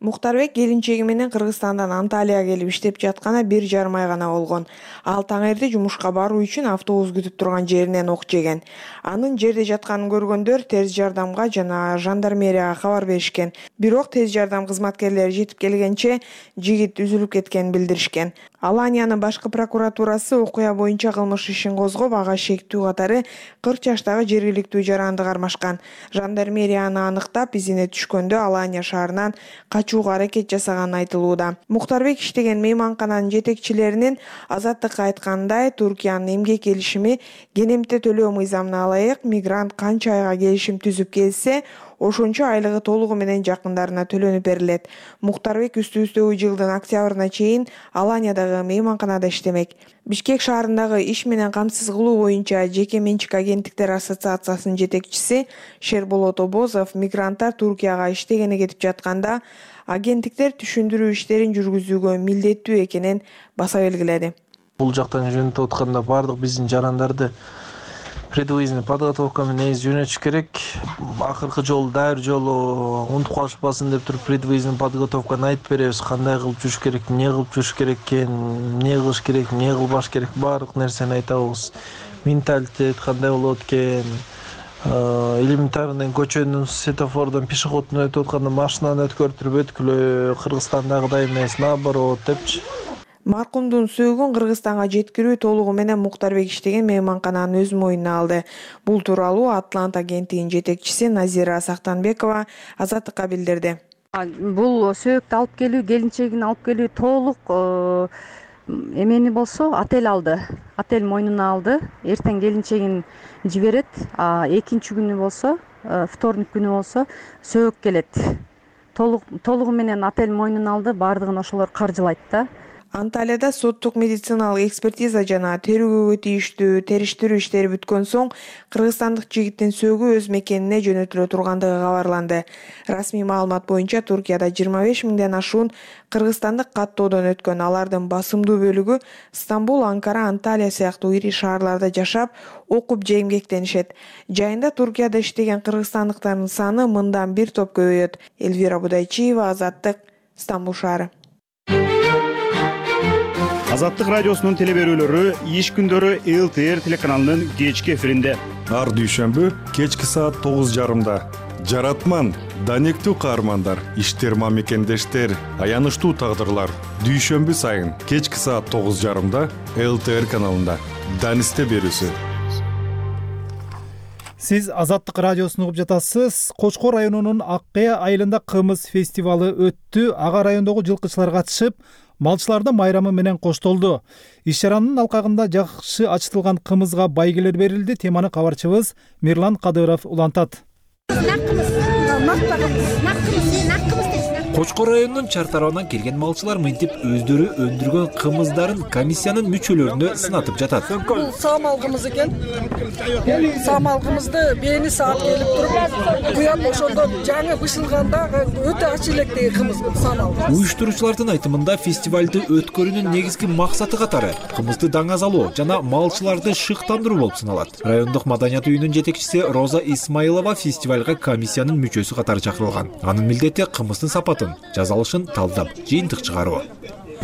Мухтарбек келинчеги менен Кыргызстандан Анталияга келип иштеп жатканы 1,5 ай гана болгон. Ал таңерди жумушка баруу үчүн автобус күтүп турган жеринен ок жеген. Анын жерде жатканын көргөндөр тез жардамга жана жандармерияга кабар беришкен. Бирок тез жардам кызматкерлери жетип келгенче жигит үзүлүп кеткенин билдиришкен. Аланиянын башкы прокуратурасы окуя боюнча кылмыш ишин козгоп, ага шектүү катары 40 жаштагы жергиликтүү жаранды кармашкан. Жандармерия аны аныктап, изине түшкөндө Алания шаарынан качууга аракет жасаганы айтылууда. Мухтарбек иштеген мейманкананын жетекчилеринин Азаттыкка айткандай, Туркиянын эмгек келишими кенемте төлөө мыйзамына ылайык мигрант канча айга келишим түзүп келсе, ошончо айлыгы толугу менен жакындарына төлөнүп берилет. Мухтарбек үстүбүздөгү жылдын октябрына чейин Аланиядагы мейманканада иштемек. Бишкек шаарындагы иш менен камсыз кылуу боюнча жеке менчик агенттиктер ассоциациясынын жетекчиси Шерболот Обозов мигранттар Туркияга иштегени кетип жатканда, агенттиктер түшүндүрүү иштерин жүргүзүүгө милдеттүү экенин баса белгиледи. Бул жактан жөнөтүп атканда бардык биздин жарандарды предвоенный подготовка менен жөнөтүш керек. Акыркы жолу дайыр жолу унутуп калышпасын деп туруп предвоенный подготовканы айтып беребиз. Кандай кылып жүрүш керек, эмне кылып жүрүш керек экен, эмне кылыш керек, эмне кылбаш керек, баардык нерсени айтабыз. Менталитет кандай болот экен, элементарный көчөнүн светофордон пешеходдун өтүп атканда машинаны өткөртүп өткүлө, Кыргызстандагыдай эмес, наоборот депчи. Маркумдун сөөгүн Кыргызстанга жеткирүү толугу менен Мухтарбек иштеген мейманкананы өз мойнуна алды. Бул тууралуу Атлант агенттигинин жетекчиси Назира Сактанбекова Азаттыкка билдирди. Бул сөөктү алып келүү, келинчегин алып келүү толук эмени болсо отель алды. Отель мойнуна алды. Эртең келинчегин жиберет. Экинчи күнү болсо вторник күнү болсо сөөгүп келет. Толугу менен отель мойнуна алды, баардыгын ошолор каржылайт да. Анталияда соттук медициналык экспертиза жана терүүгө тийиштүү териштирүү иштери бүткөн соң кыргызстандык жигиттин сөөгү өз мекенине жөнөтүлө тургандыгы кабарланды. Расмий маалымат боюнча Туркияда 25 миңден ашуун кыргызстандык каттоодон өткөн. Алардын басымдуу бөлүгү Стамбул, Анкара, Анталия сыяктуу ири шаарларда жашап, окуп же эмгектенишет. Жайында Туркияда иштеген кыргызстандыктардын саны мындан бир топ көбөйөт. Элвира Будайчиева, Азаттык, Стамбул шаары. Азаттык радиосунун телеберүүлөрү иш күндөрү ЛТР телеканалынын кечки эфиринде. Ар дүйшөмбү кечки саат 9:30. Жаратман, данектүү каармандар, иштер мамекендештер, аянычтуу тагдырлар. Дүйшөмбү сайын кечки саат 9:30 ЛТР каналында. Данисте берүүсү. Сиз Азаттык радиосун угуп жатасыз. Кочкор районунун Ак Кая айылында кымыз фестивалы өттү. Ага райондогу жылкычылар катышып, малчылардын майрамы менен коштолду. Иш чаранын алкагында жакшы ачытылган кымызга байгелер берилди. Теманы кабарчыбыз Мирлан Кадыров улантат. Кочкор районунун чар тарабынан келген малчылар мынтип өздөрү өндүргөн кымыздарын комиссиянын мүчөлөрүнө сынатып жатат. Бул саамал кымыз экен. Саамал кымызды бээни саап келип туруп, куяп ошондо жаңы бышылганда өтө ачы электеги кымыз саамал. Уюштуруучулардын айтымында фестивалды өткөрүүнүн негизги максаты катары кымызды даңазалоо жана малчыларды шыктандыруу болуп саналат. Райондук маданият үйүнүн жетекчиси Роза Исмаилова фестивалга комиссиянын мүчөсү катары чакырылган. Анын милдети кымыздын сапатын, жазалышын талдап, жыйынтык чыгаруу.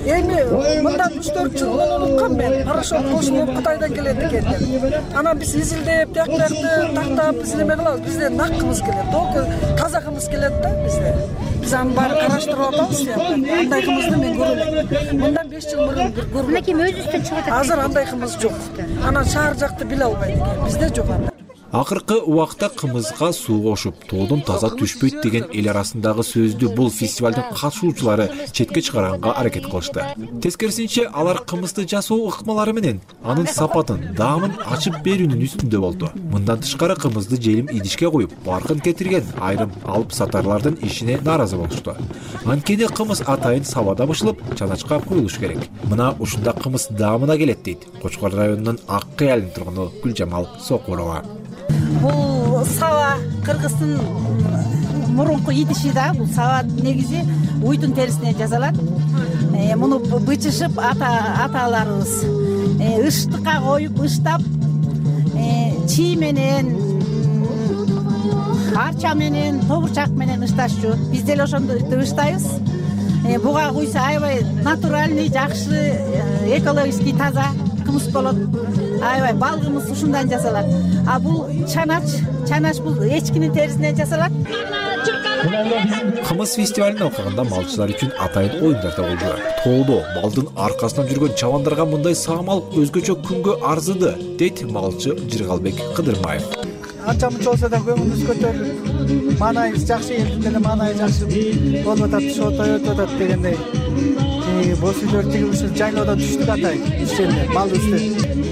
Эми мындан 3-4 жыл унуткан мен, порошок кошулуп Кытайдан келет экен деп. Анан биз изилдеп, тактакты тактап, биз неме кылабыз? Бизде нак кымыз келет, толку таза кымыз келет да бизде. Биз анын баарын караштырып атабыз да. Андай кымызды мен көрөлөм. Мындан 5 жыл мурун көргөм. Мынакей өзүбүздөн чыгып атат. Азыр андай кымыз жок. Анан шаар жакты биле албайт экен. Бизде жок андай. Акыркы убакта кымызга суу кошуп, тоодон таза түшпөйт деген эл арасындагы сөздү бул фестивалдын катышуучулары четке чыгарганга аракет кылышты. Тескерисинче алар кымызды жасоо ыкмалары менен анын сапатын, даамын ачып берүүнүн үстүндө болду. Мындан тышкары кымызды желим идишке коюп, баркын кетирген айрым алып сатарлардын ишине нааразы болушту. Анткени кымыз атайын сабада бышылып, чаначка коюлуш керек. Мына ушунда кымыз даамына келет дейт Кочкор районунун Ак Кая айылынын тургуну Гүлжамал Сокурова. Бул саба кыргыздын мурунку идиши да, бул саба негизи уйдун терисинен жасалат. Муну бычышып аталарыбыз ыштыкка коюп ыштап, чий менен, арча менен, тобурчак менен ышташчу. Биз деле ошондо ыштайбыз. Буга куйса аябай натуральный, жакшы, экологический таза кымыз болот. Аябай бал кымыз ушундан жасалат. А бул чанач бул эчкинин терисинен жасалат. Кымыз фестивалынын алкагында малчылар үчүн атайын оюндар да болду. Тоодо балдын аркасынан жүргөн чабандарга мындай саамал өзгөчө күнгө арзыды, дейт малчы Жыргалбек Кыдырмаев. Анча мынча болсо да көңүлүбүз көтөрүлүп, маанайыбыз жакшы, элдин деле маанайы жакшы болуп атат, тоyоп атат дегендей. Боз үйлөр тиги ушул жайлоодон түштүк атайын, ишченде, мал үстү.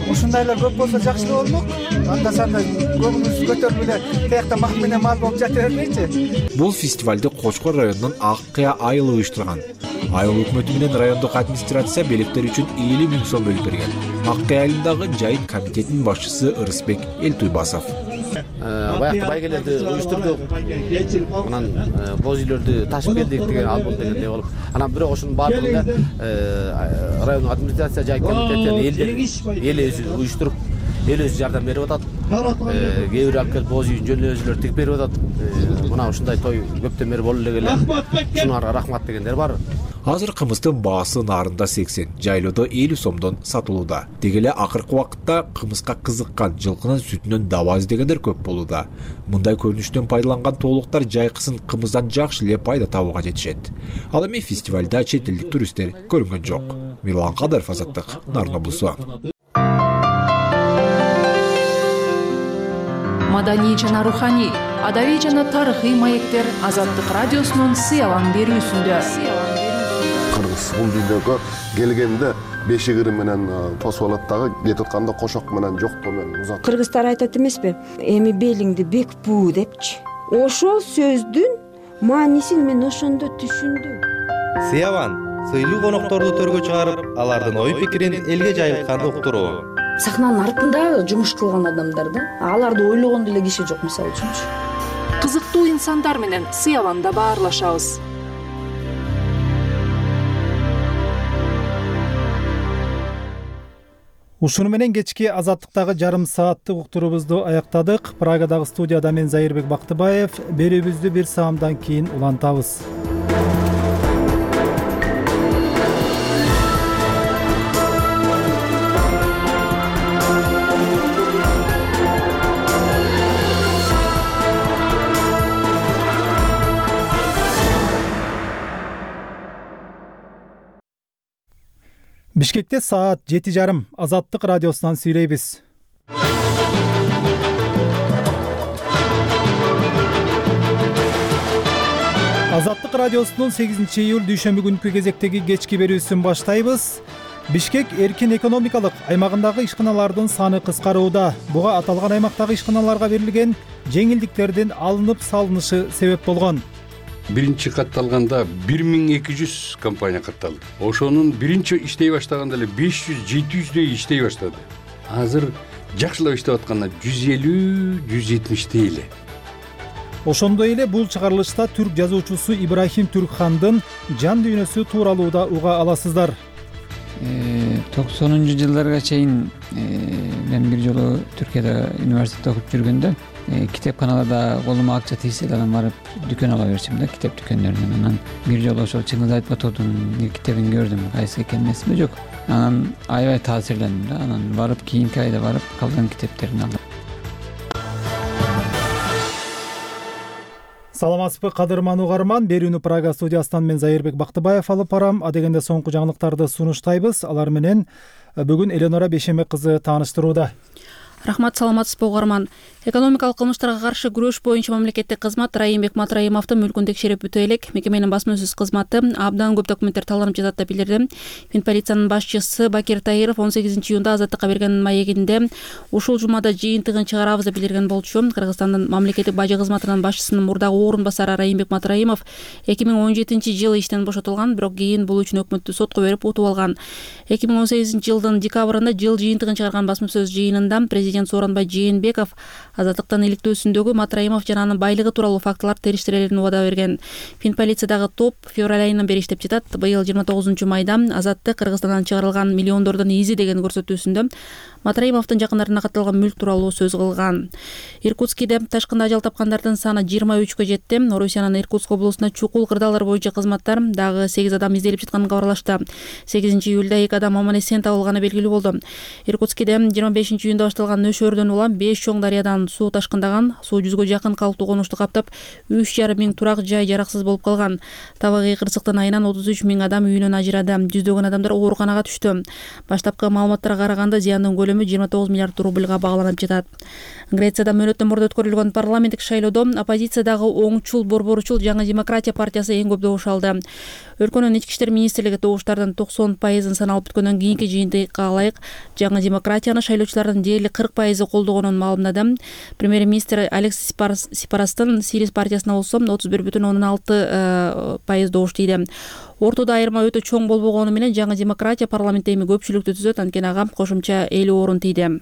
Ушундайлар көп болсо жакшы болмок. Анда санда көңүлүбүз көтөрүп эле тиякта мак менен мал болуп жата бербейчи. Бул фестивалды Кочкор районунун Ак Кая айылы уюштурган. Айыл өкмөтү менен райондук администрация белектер үчүн 50 000 сом бөлүп берген. Ак Кая айылындагы жайын комитетинин башчысы Ырысбек Элтуйбасов. Баягы байгелерди уюштурдук. Анан боз үйлөрдү ташып келдик деген ал болду дегендей болуп. Анан бирок ошонун баардыгында райондук администрация жай комитети эл өзү уюштуруп, эл өзү жардам берип атат. Кээ бир алып келип боз үйүн жөн өзүлөр тигип берип атат. Мына ушундай той көптөн бери болуп эле келет. Шунарга рахмат дегендер бар. Азыр кымыздын баасы нарында 80, жайлоодо 50 сомдон сатылууда. Деги эле акыркы убакытта кымызга кызыккан, жылкынын сүтүнөн даба издегендер көп болууда. Мындай көрүнүштөн пайдаланган тоолуктар жайкысын кымыздан жакшы эле пайда табууга жетишет. Ал эми фестивалда чет элдик туристтер көрүнгөн жок. Мирлан Кадыров, Азаттык, Нарын облусу. Маданий жана руханий, адабий жана тарыхый маектер Азаттык радиосунун сыялан берүүсүндө. биз бул дүйнөгө келгенде бешик ыры менен тосуп алат дагы, кетип атканда кошок менен жоктоо менен узат. Кыргыздар айтат эмеспи? Эми белиңди бек буу депчи. Ошол сөздүн маанисин мен ошондо түшүндүм. Сыябан сыйлуу конокторду төргө чыгарып, алардын ой пикирин элге жайылтканды уктуруу. Сахнанын артында жумуш кылган адамдар да, аларды ойлогон деле киши жок, мисалы үчүнчү. Кызыктуу инсандар менен Сыябанда баарлашабыз. Ушуну менен кечки Азаттыктагы жарым сааттык уктуруубузду аяктадык. Прагадагы студияда мен Зайырбек Бактыбаев. Берүүбүздү бир саамдан кийин улантабыз. Бишкекте саат 7:30. Азаттык радиосунан сүйлөйбүз. Азаттык радиосунун 8-июль дүйшөмбү күнкү кезектеги кечки берүүсүн баштайбыз. Бишкек эркин экономикалык аймагындагы ишканалардын саны кыскарууда. Буга аталган аймактагы ишканаларга берилген жеңилдиктердин алынып салынышы себеп болгон. Биринчи катталганда 1200 компания катталды. Ошонун биринчи иштей баштаганда эле 500-700дөй иштей баштады. Азыр жакшылап иштеп атканда 150-170дөй эле. Ошондой эле бул чыгарылышта түрк жазуучусу Ибрахим Түркхандын жан дүйнөсү тууралуу да уга аласыздар. 90-жылдарга чейин мен бир жолу Түркияда университетте окуп жүргөндө китепканаларда колума акча тийсе да анан барып дүкөн ала берчүмүн да, китеп дүкөндөрүнөн. Анан бир жолу ошол Чыңгыз Айтбатовдун бир китебин көрдүм, кайсы экенин эсимде жок. Анан аябай таасирлендим да. Анан барып кийинки айда барып калган китептерин алдым. Саламатсызбы кадырман угарман, берүүнү Прага студиясынан мен Зайырбек Бактыбаев алып барам. Адегенде соңку жаңылыктарды сунуштайбыз. Алар менен бүгүн Эленора Бешемек кызы тааныштырууда. Рахмат, саламатсызбы угарман. Экономикалык кылмыштарга каршы күрөш боюнча мамлекеттик кызмат Райымбек Матраимовдун мүлкүн текшерип бүтө элек. Мекеменин басма-сөз кызматы абдан көп документтер талданып жатат деп билдирди. Финполициянын башчысы Бакир Таиров 18-июнда Азаттыкка берген маегинде ушул жумада жыйынтыгын чыгарабыз деп билдирген болчу. Кыргызстандын мамлекеттик бажы кызматынын башчысынын мурдагы орун басары Райымбек Матраимов 2017-жылы иштен бошотулган, бирок кийин бул үчүн өкмөттү сотко берип утуп алган. 2018-жылдын декабрында жыл жыйынтыгын чыгарган басма-сөз жыйынында президент Сооронбай Жээнбеков Азаттыктын иликтөөсүндөгү Матраимов жана анын байлыгы тууралуу фактылар териштирилерин убада берген. Финполициядагы топ февраль айынан бери иштеп жатат. Быйыл 29-майда Азаттык Кыргызстандан чыгарылган миллиондордун изи деген көрсөтүүсүндө Матраимовдун жакындарына катталган мүлк тууралуу сөз кылган. Иркутскиде ташкында ажал тапкандардын саны 23кө жетти. Орусиянын Иркутск облусунда чукул кырдаалар боюнча кызматтар дагы 8 адам изделип жатканын кабарлашты. 8-июлда 2 адам аман-эсен табылганы белгилүү болду. Иркутскиде 25-июнда башталган нөшөрдөн улам 5 чоң дарыядан суу ташкындаган. Суу 100гө жакын калктуу конушту каптап, 3,5 миң турак жай жараксыз болуп калган. Табигый кырсыктын айынан 33 миң адам үйүнөн ажырады. Жүздөгөн адамдар ооруканага түштү. Баштапкы маалыматтарга караганда зыяндын көлөмү 29 миллиард рубльга багланып жатат. Грецияда мөөнөттөн мурда өткөрүлгөн парламенттик шайлоодо оппозициядагы оңчул борборчул Жаңы демократия партиясы эң көп добуш алды. Өлкөнүн ички иштер министрлиги добуштардын 90% саналып бүткөндөн кийинки жыйынтыкка ылайык Жаңы демократияны шайлоочулардын дээрлик 40% колдогонун маалымдады. Премьер-министр Алексис Сипарастын Сирис партиясына болсо 31,6% добуш тийди. Ортодо айырма өтө чоң болбогону менен Жаңы демократия парламентте эми көпчүлүктү түзөт, анткени ага кошумча 50 орун тийди.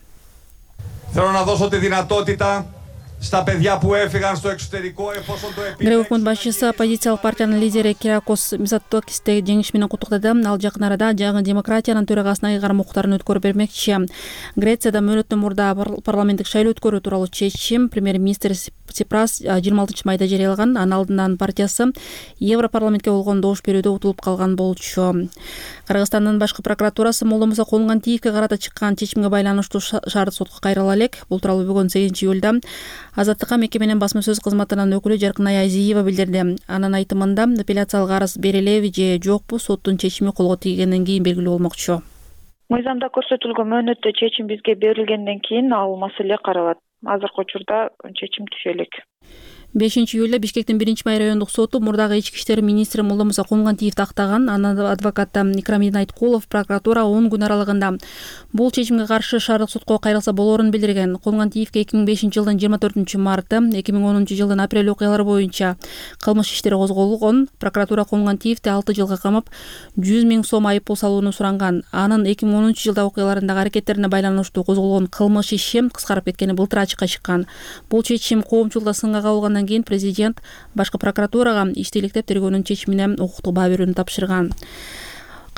Грек өкмөт башчысы оппозициялык партиянын лидери Киракос Мицотакисти жеңиш менен куттуктады. Ал жакын арада Жаңы демократиянын төрагасына ыйгарым укуктарын өткөрүп бермекчи. Грецияда мөөнөттөн мурда парламенттик шайлоо өткөрүү тууралуу чечим премьер-министр Сипрас 26-майда жарыялаган. Анын алдынан партиясы Европарламентке болгон добуш берүүдө утулуп калган болчу. Кыргызстандын башкы прокуратурасы Молдомусо Кулмгантиевке карата чыккан чечимге байланыштуу шарт сотко кайрыла элек. Бул тууралуу бүгүн 8-июлда Азаттыкка мекеменин басма-сөз кызматынын өкүлү Жаркынай Азиева билдирди. Анын айтымында апелляциялык арыз берилеби же жокпу соттун чечими колго тийгенден кийин белгилүү болмокчу. Мыйзамда көрсөтүлгөн мөөнөттө чечим бизге берилгенден кийин ал маселе каралат. Азыркы учурда чечим түшө элек. 5-июлда Бишкектин 1-май райондук соту мурдагы ички иштер министри Молдомуса Кумгантиевди актаган. Анын адвокаты Икрамидин Айткулов прокуратура 10 күн аралыгында бул чечимге каршы шаардык сотко кайрылса болоорун билдирген. Кумгантиевге 2005-жылдын 24-марты, 2010-жылдын апрель окуялары боюнча кылмыш иштери козголгон. Прокуратура Кумгантиевди 6 жылга камап, 100 000 сом айып пул салууну суранган. Анын 2010-жылда окуяларындагы аракеттерине байланыштуу козголгон кылмыш иши кыскарып кеткени былтыр ачыкка чыккан. Бул чечим коомчулукта сынга кабылгандан кийин президент башкы прокуратурага ишти иликтеп тергөөнүн чечимине укуктук баа берүүнү тапшырган.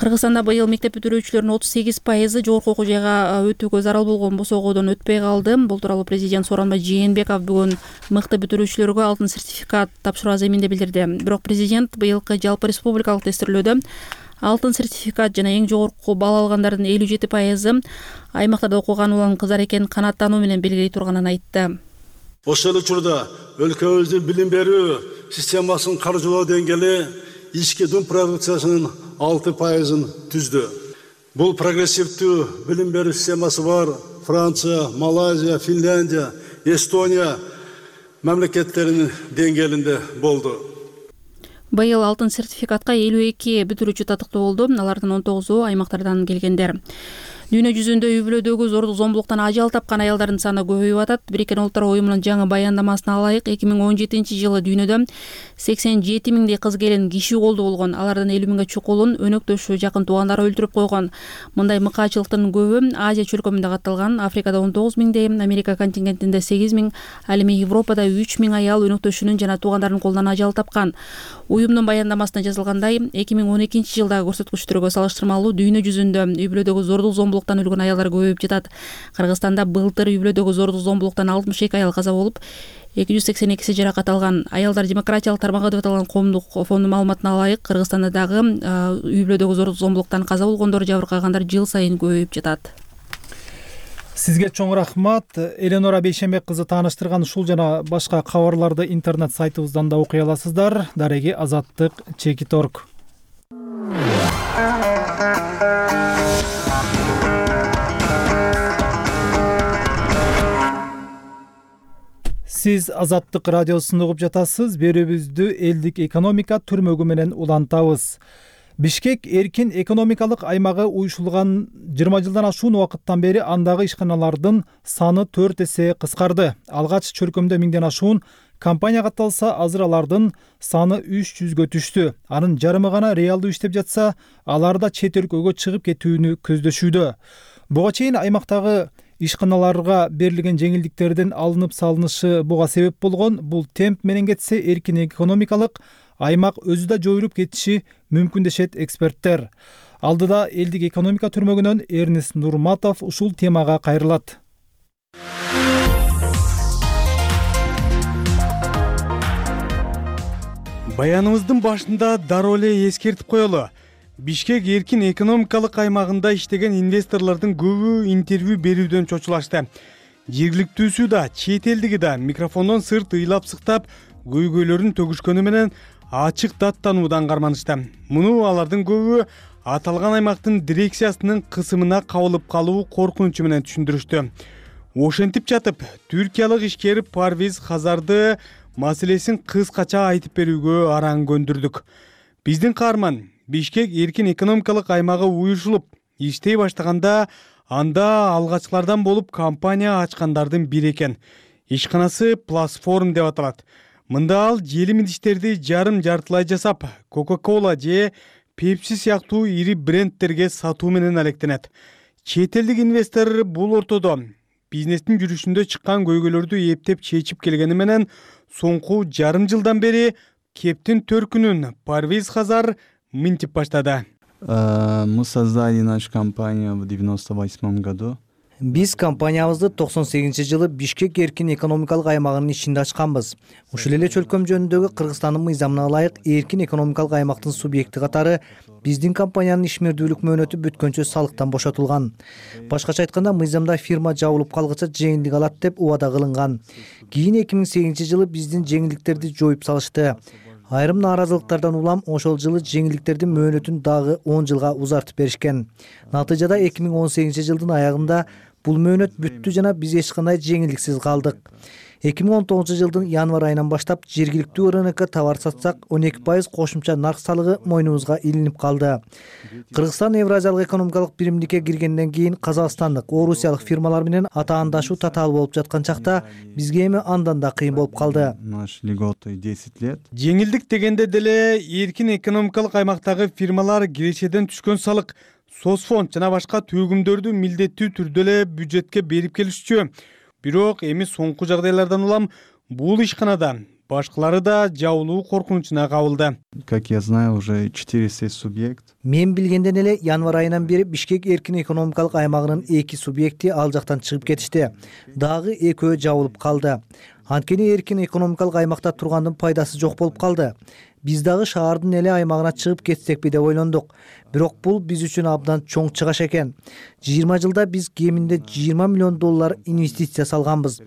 Кыргызстанда быйыл мектеп бүтүрүүчүлөрүнүн 38% жогорку окуу жайга өтүүгө зарыл болгон босоогодон өтпөй калды. Бул тууралуу президент Сооронбай Жээнбеков бүгүн мыкты бүтүрүүчүлөргө алтын сертификат тапшыруу аземинде билдирди. Бирок президент быйылкы жалпы республикалык тестирлөөдө алтын сертификат жана эң жогорку балл алгандардын 57% аймактарда окуган улан кыздар экенин канааттануу менен белгилей турганын айтты. Ошол учурда өлкөбүздүн билим берүү системасынын каржылоо деңгээли ички дун продукциясынын 6% түздү. Бул прогрессивдүү билим берүү системасы бар Франция, Малайзия, Финляндия, Эстония мамлекеттеринин деңгээлинде болду. Быйыл алтын сертификатка 52 бүтүрүүчү татыктуу болду. Алардын 19-у аймактардан келгендер. Дүйнө жүзүндө үй бүлөдөгү зордук зомбулуктан ажал тапкан аялдардын саны көбөйүп атат. Бириккен Улуттар уюмунун жаңы баяндамасына ылайык 2017-жылы дүйнөдө 87 000 кыз келин киши колду болгон. Алардын 50 000 чукулун өнөктөшү, жакын туугандары өлтүрүп койгон. Мындай мыкаачылыктын көбү Азия чөлкөмүндө катталган. Африкада 19 000, Америка континентинде 8 000, ал эми Европада 3 000 аял өнөктөшүнүн жана туугандарынын колунан ажал тапкан. Уюмдун баяндамасында жазылгандай, 2012-жылдагы көрсөткүчтөргө салыштырмалуу дүйнө жүзүндө үй бүлөдөгү зордук зомбулуктан өлгөн аялдар көбөйүп жатат. Кыргызстанда былтыр үй бүлөдөгү зордук зомбулуктан 62 аял каза болуп, 282 жаракат алган. Аялдар демократиялык тармагы деп аталган коомдук фондунун маалыматына ылайык, Кыргызстанда дагы үй бүлөдөгү зордук зомбулуктан каза болгондор, жабыркагандар жыл сайын көбөйүп жатат. Сизге чоң рахмат. Эленора Бейшембек кызы тааныштырган ушул жана башка кабарларды интернет сайтыбыздан да окуй аласыздар. Дареги Азаттык Чекит.org. Сиз Азаттык радиосун угуп жатасыз. Берүүбүздү элдик экономика түрмөгү менен улантабыз. Бишкек эркин экономикалык аймагы уюшулган 20 жылдан ашуун убакыттан бери андагы ишканалардын саны 4 эсе кыскарды. Алгач чөлкөмдө 1000ден ашуун компания катталса, азыр алардын саны 300гө түштү. Анын жарымы гана реалдуу иштеп жатса, алар да чет өлкөгө чыгып кетүүнү көздөшүүдө. Буга чейин аймактагы ишканаларга берилген жеңилдиктердин алынып салынышы буга себеп болгон. Бул темп менен кетсе, эркин экономикалык аймак өзү да жоюлуп кетиши мүмкүн дешет эксперттер. Алдыда элдик экономика түрмөгүнөн Эрнест Нурматов ушул темага кайрылат. Баяныбыздын башында дароо эле эскертип коелу. Бишкек эркин экономикалык аймагында иштеген инвесторлордун көбү интервью берүүдөн чочулашты. Жергиликтүүсү да, чет элдиги да микрофондон сырт ыйлап сыктап, көйгөйлөрүн төгүшкөнү менен ачык даттануудан карманышты. Муну алардын көбү аталган аймактын дирекциясынын кысымына кабылып калуу коркунучу менен түшүндүрүштү. Ошентип жатып, түркиялык ишкер Парвиз Хазарды маселесин кыскача айтып берүүгө араң көндүрдүк. Биздин каарман Бишкек эркин экономикалык аймагы уюшулуп иштей баштаганда анда алгачкылардан болуп компания ачкандардын бири экен. Ишканасы Платформ деп аталат. Мында ал желим идиштерди жарым-жартылай жасап, Coca-Cola же Pepsi сыяктуу ири брендтерге сатуу менен алектенет. Чет элдик инвестор бул ортодо бизнестин жүрүшүндө чыккан көйгөйлөрдү эптеп чечип келгени менен соңку жарым жылдан бери кептин төркүнүн Парвиз Хазар мынтип баштады. Мы создали нашу компанию в 98 году. Биз компаниябызды 98-жылы Бишкек эркин экономикалык аймагынын ичинде ачканбыз. Ушул эле чөлкөм жөнүндөгү Кыргызстандын мыйзамына ылайык эркин экономикалык аймактын субъекти катары биздин компаниянын ишмердүүлүк мөөнөтү бүткөнчө салыктан бошотулган. Башкача айтканда, мыйзамда фирма жабылып калгыча жеңилдик алат деп убада кылынган. Кийин 2008-жылы биздин жеңилдиктерди жоюп салышты. Айрым нааразылыктардан улам ошол жылы жеңилдиктердин мөөнөтүн дагы 10 жылга узартып беришкен. Натыйжада 2018-жылдын аягында бул мөөнөт бүттү жана биз эч кандай жеңилдиксиз калдык. 2019 январь айынан баштап жергиликтүү РНК товар сатсак 12% кошумча нарк салыгы мойнубузга илинип калды. Кыргызстан Евразиялык экономикалык биримдикке киргенден кийин казакстандык, орусиялык фирмалар менен атаандашуу татаал болуп жаткан чакта бизге эми андан да кыйын болуп калды. Наш льготы 10 лет. Жеңилдик дегенде деле эркин экономикалык аймактагы фирмалар кирешеден түшкөн салык, соцфонд жана башка төгүмдөрдү милдеттүү түрдө эле бюджетке берип келишчү. Бирок эми соңку жагдайлардан улам бул ишканада башкалары да жабылуу коркунучуна кабылды. Как я знаю, уже 4 субъект. Мен билгенден эле январь айынан бери Бишкек эркин экономикалык аймагынын 2 субъекти ал жактан чыгып кетишти. Дагы экөө жабылып калды. Анткени эркин экономикалык аймакта тургандын пайдасы жок болуп калды. Биз дагы шаардын эле аймагына чыгып кетсекпи деп ойлондук. Бирок бул биз үчүн абдан чоң чыгаш экен. 20 жылда биз кеминде $20 миллион инвестиция салганбыз.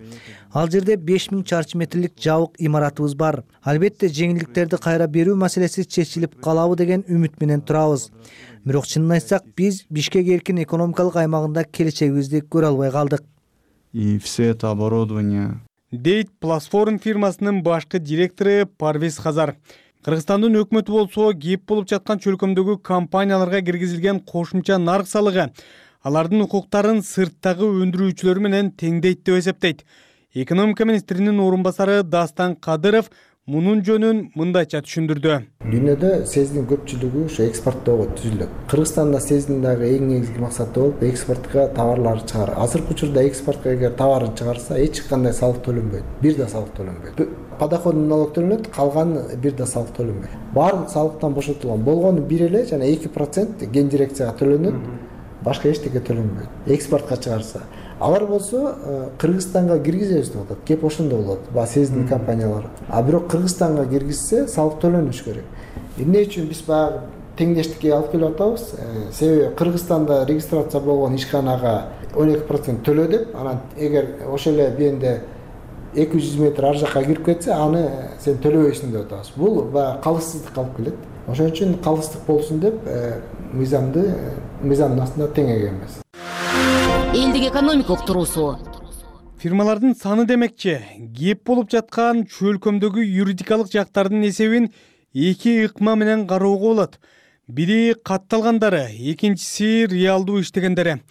Ал жерде 5000 чарчы метрлик жабык имаратыбыз бар. Албетте жеңилдиктерди кайра берүү маселеси чечилип калабы деген үмүт менен турабыз. Бирок чынын айтсак, биз Бишкек эркин экономикалык аймагында келечегибизди көрө албай калдык. И все это оборудование. Дейт Платформ фирмасынын башкы директору Парвиз Хазар. Кыргызстандын өкмөтү болсо кеп болуп жаткан чөлкөмдөгү компанияларга киргизилген кошумча нарк салыгы алардын укуктарын сырттагы өндүрүүчүлөр менен теңдейт деп эсептейт. Экономика министринин орун басары Дастан Кадыров мунун жөнүн мындайча түшүндүрдү. Дүйнөдө СЭЗдин көпчүлүгү ошо экспорттоого түзүлөт. Кыргызстанда СЭЗдин дагы эң негизги максаты болуп экспортко товарларды чыгаруу. Азыркы учурда экспортко эгер товарын чыгарса, эч кандай салык төлөнбөйт. Бир да салык төлөнбөйт. Подоходный налог төлөнөт, калганы бир да салык төлөнбөйт. Баардык салыктан бошотулган. Болгону бир эле жана 2% ген дирекцияга төлөнөт. Башка эчтеке төлөнбөйт. Экспортко чыгарса. Алар болсо Кыргызстанга киргизебиз деп атат. Кеп ошондо болот. СЭЗдин компаниялары. А бирок Кыргызстанга киргизсе салык төлөнүш керек. Эмне үчүн биз баягы теңдештикке алып келип атабыз? Себеби Кыргызстанда регистрация болгон ишканага 12% төлө деп, анан эгер ошо эле бенде 200 метр ар жакка кирип кетсе, аны сен төлөбөйсүң деп атабыз. Бул баягы калыстык алып келет. Ошон үчүн калыстык болсун деп мыйзамдын астында тең экенбиз. Элдик экономика уктуруусу. Фирмалардын саны демекчи, кеп болуп жаткан чөлкөмдөгү юридикалык жактардын эсебин 2 ыкма менен кароого болот. Бири катталгандары, экинчиси реалдуу иштегендери.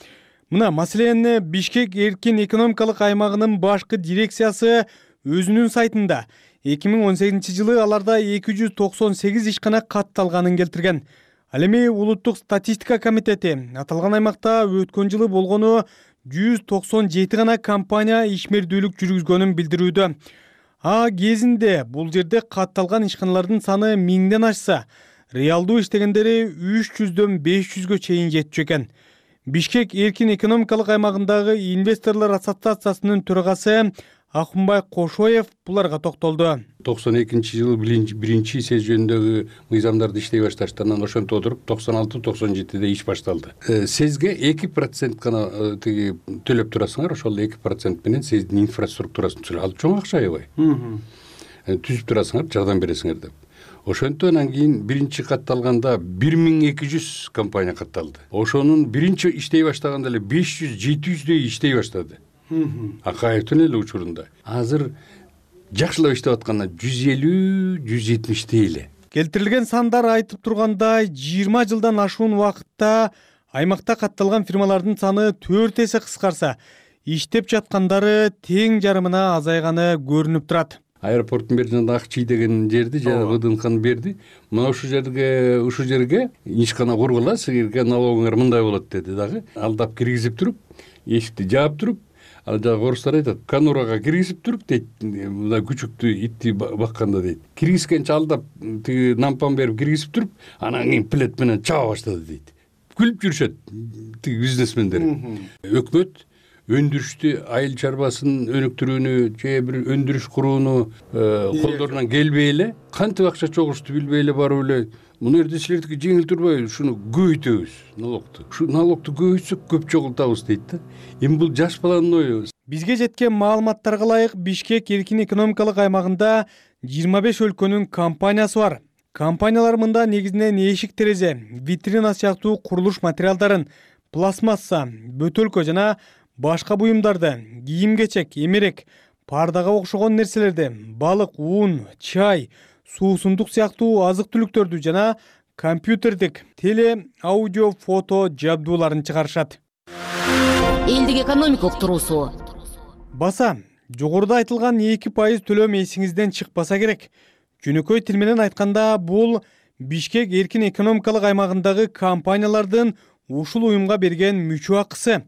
Мына маселени Бишкек эркин экономикалык аймагынын башкы дирекциясы өзүнүн сайтында 2018 жылы аларда 298 ишкана катталганын келтирген. Ал эми Улуттук статистика комитети аталган аймакта өткөн жылы болгону 197 гана компания ишмердүүлүк жүргүзгөнүн билдирүүдө. Кезинде бул жерде катталган ишканалардын саны 1000ден ашса, реалдуу иштегендери 300дөн 500гө чейин жетчү экен. Бишкек эркин экономикалык аймагындагы инвесторлор ассоциациясынын төрагасы Акунбай Кошоев буларга токтолду. 92 жылы биринчи СЭЗ жөнүндөгү мыйзамдарды иштей башташтан ошентип отуруп 96-97-де иш башталды. СЭЗге 2% гана тиги төлөп турасыңар, ошол 2% менен СЭЗдин инфраструктурасын түзүп алып чоң акча аябай. Түзүп турасыңар, жардам бересиңер деп. Ошентип анан кийин биринчи катталганда 1200 компания катталды. Ошонун биринчи иштей баштаганда эле 500-700дөй иштей баштады. Акаевдин эле учурунда. Азыр жакшылап иштеп атканда 150-170 эле. Келтирилген сандар айтып тургандай 20 жылдан ашуун убакытта аймакта катталган фирмалардын саны 4 эсе кыскарса, иштеп жаткандары тең жарымына азайганы көрүнүп турат. Аэропорттун бери жанында Акчий деген жерди жана ВДНКны берди. Мына ушул жерге ишкана кургула, силерге налогуңар мындай болот деди дагы. Алдап киргизип туруп, эшикти жаап туруп, ал жагы орустар айтат, конурага киргизип туруп дейт, мына күчүктү итти бакканда дейт. Киргизгенче алдап тиги нампан берип киргизип туруп, анан кийин плет менен чаба баштады дейт. Күлүп жүрүшөт тиги бизнесмендер. Өкмөт өндүрүштү, айыл чарбасын өнүктүрүүнү, же бир өндүрүш курууну колдорунан келбей эле, кантип акча чогушту билбей эле барып эле, муну жерде силердики жеңил турбайбы, шуну көбөйтөбүз, налогту. Ушу налогту көбөйтсөк көп чогултабыз дейт да. Эми бул жаш баланын ою. Бизге жеткен маалыматтарга ылайык Бишкек эркин экономикалык аймагында 25 өлкөнүн компаниясы бар. Компаниялар мында негизинен эшик терезе, витрина сыяктуу курулуш материалдарын, пластмасса, бөтөлкө жана башка буюмдарды, кийим-кечек, эмерек, пардага окшогон нерселерди, балык, ун, чай, суусундук сыяктуу азык-түлүктөрдү жана компьютердик, теле, аудио, фото жабдууларын чыгарышат. Элдик экономика уктуруусу. Баса, жогоруда айтылган 2% төлөм эсиңизден чыкпаса керек. Жөнөкөй тил менен айтканда, бул Бишкек эркин экономикалык аймагындагы компаниялардын ушул уюмга берген мүчө акысы.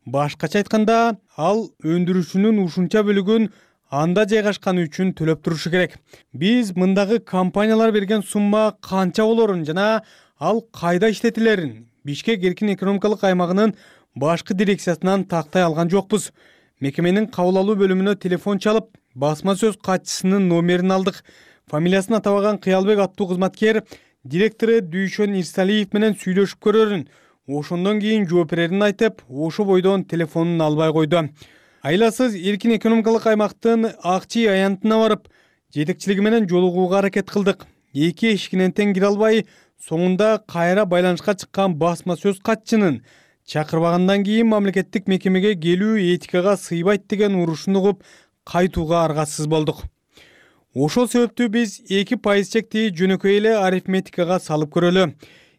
Башкача айтканда, ал өндүрүшүнүн ушунча бөлүгүн анда жайгашканы үчүн төлөп турушу керек. Биз мындагы компаниялар берген сумма канча болорун жана ал кайда иштетилерин Бишкек эркин экономикалык аймагынын башкы дирекциясынан тактай алган жокпуз. Мекеменин кабыл алуу бөлүмүнө телефон чалып, басма сөз катчысынын номерин алдык. Фамилиясын атабаган Кыялбек аттуу кызматкер директору Дүйшөн Ирсалиев менен сүйлөшүп көрөрүн, ошондон кийин жооп берерин айтып, ошо бойдон телефонун албай койду. Айласыз эркин экономикалык аймактын Акчи аянтына барып, жетекчилиги менен жолугууга аракет кылдык. Эки эшигинен тең кире албай, соңунда кайра байланышка чыккан басма сөз катчынын чакырбагандан кийин мамлекеттик мекемеге келүү этикага сыйбайт деген урушун угуп, кайтууга аргасыз болдук. Ошол себептүү биз 2% чекти жөнөкөй эле арифметикага салып көрөлү.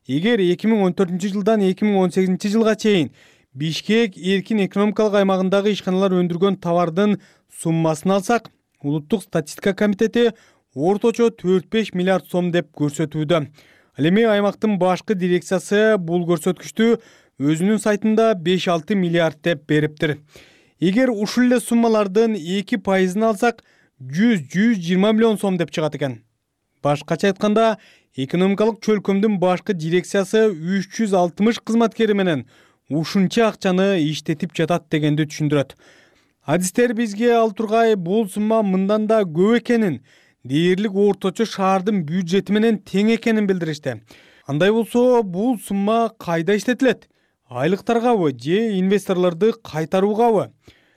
Эгер 2014 жылдан 2018 жылга чейин Бишкек эркин экономикалык аймагындагы ишканалар өндүргөн товардын суммасын алсак, Улуттук статистика комитети орточо 4-5 миллиард сом деп көрсөтүүдө. Ал эми аймактын башкы дирекциясы бул көрсөткүчтү өзүнүн сайтында 5-6 миллиард деп бериптир. Эгер ушул эле суммалардын 2%-ын алсак, 100-120 миллион сом деп чыгат экен. Башкача айтканда, экономикалык чөлкөмдүн башкы дирекциясы 360 кызматкери менен ушунча акчаны иштетип жатат дегенди түшүндүрөт. Адистер бизге ал тургай бул сумма мындан да көп экенин, дээрлик орточо шаардын бюджети менен тең экенин билдиришти. Андай болсо, бул сумма кайда иштетилет? Айлыктаргабы же инвесторлорду кайтаруугабы?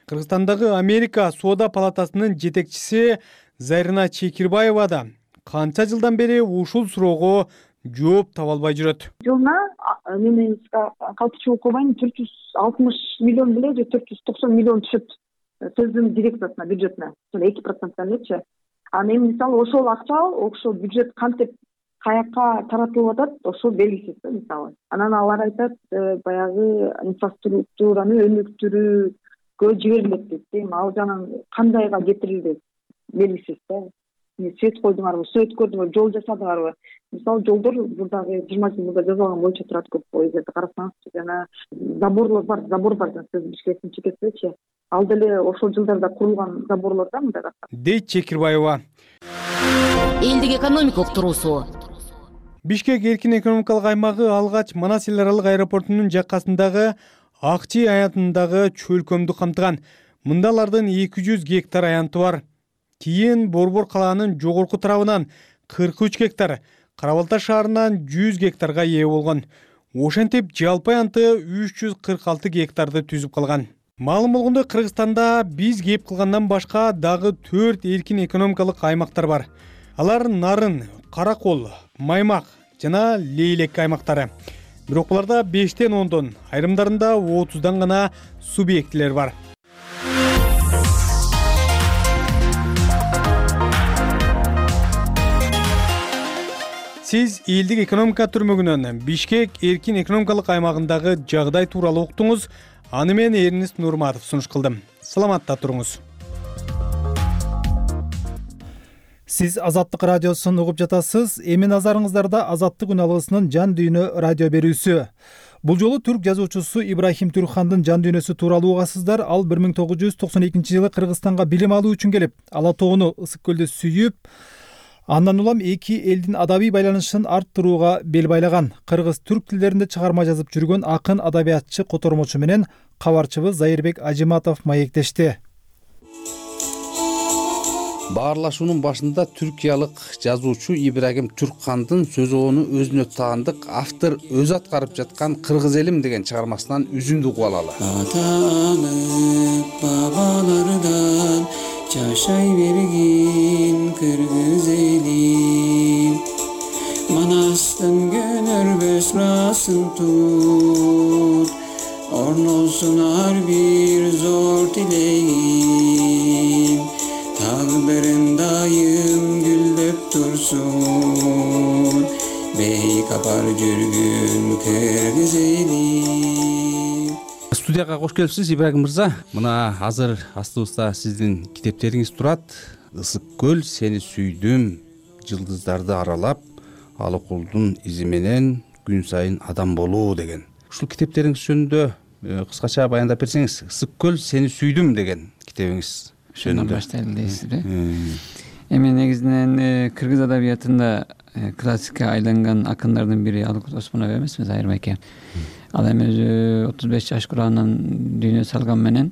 Кыргызстандагы Америка соода палатасынын жетекчиси Зарина Чекирбаева да канча жылдан бери ушул суроого жооп таба албай жүрөт. Жылына менин калтырчылык кылбайм 460 миллион беле же 490 миллион түшөт сөздүн дирекциясына, бюджетине. 2%-тан элечи. Анан эми мисалы ошол акча, ошол бюджет кантип каякка таратылып атат, ошол белгисиз мисалы. Анан алар айтат, баягы инфраструктураны өнүктүрүүгө жиберилет дейт. Ал жанан кандайга кетирилди белгисиз да. Свет койдуңарбы, свет көрдүңөр, жол жасадыңарбы? Мисалы жолдор бурдагы 20 жылда жасалган боюнча турат көп эгерде карасаңыз, жана заборлор бар, сөз Бишкектин чекесичи. Ал деле ошол жылдарда курулган заборлор да мындай дейт Чекирбаева. Элдик экономика уктуруусу. Бишкек эркин экономикалык аймагы алгач Манас эл аралык аэропортунун жаккасындагы Акчи аянтындагы чөлкөмдү камтыган. Мында алардын 200 гектар аянты бар. Кийин Борбор калаанын жогорку тарабынан 43 гектар, Карабалта шаарынан 100 гектарга ээ болгон. Ошентип жалпы аянты 346 гектарды түзүп калган. Маалым болгондой, Кыргызстанда биз кеп кылгандан башка дагы 4 эркин экономикалык аймактар бар. Алар Нарын, Каракол, Маймак жана Лейлек аймактары. Бирок буларда 5-тен 10-дон, айрымдарында 30-дан гана субъектилер бар. Сиз элдик экономика түрмөгүнөн Бишкек эркин экономикалык аймагындагы жагдай тууралуу уктуңуз. Аны мен Эрнест Нурматов сунуш кылдым. Саламатта туруңуз. Сиз Азаттык радиосун угуп жатасыз. Эми назарыңыздарда Азаттык үн алгысынын жан дүйнө радио берүүсү. Бул жолу түрк жазуучусу Ибрахим Түркхандын жан дүйнөсү тууралуу угасыздар. Ал 1992-жылы Кыргызстанга билим алуу үчүн келип, Ала тоону, Ысык көлдү сүйүп, андан улам эки элдин адабий байланышын арттырууга бел байлаган. Кыргыз-түрк тилдеринде чыгарма жазып жүргөн акын, адабиятчы, котормочу менен кабарчыбыз Зайырбек Ажиматов маектешти. Баарлашуунун башында түркиялык жазуучу Ибрагим Түркхандын сөзөөнү өзүнө таандык автор өзү аткарып жаткан Кыргыз элим деген чыгармасынан үзүндү угуп алалы. Бабалардан жашай берген Кыргыз элим, Манастын көнөрбөс ырасын тут, орносун ар бир зор тилегим. берен дайым гүлдөп турсун, бейкапар жүргүн кыргыз эли. Студияга кош келипсиз Ибрагим мырза. Мына азыр астыбызда сиздин китептериңиз турат. Ысык көл, сени сүйдүм, жылдыздарды аралап, Алыкулдун изи менен күн сайын адам болуу деген. Ушул китептериңиз жөнүндө кыскача баяндап берсеңиз. Ысык көл, сени сүйдүм деген китебиңиз жөнүндө. Баштайлы дейсизби? Эми негизинен кыргыз адабиятында классикке айланган акындардын бири Алыкул Осмонов эмеспи, Зайыр байке. Ал эми өзү 35 жаш курагынан дүйнө салган менен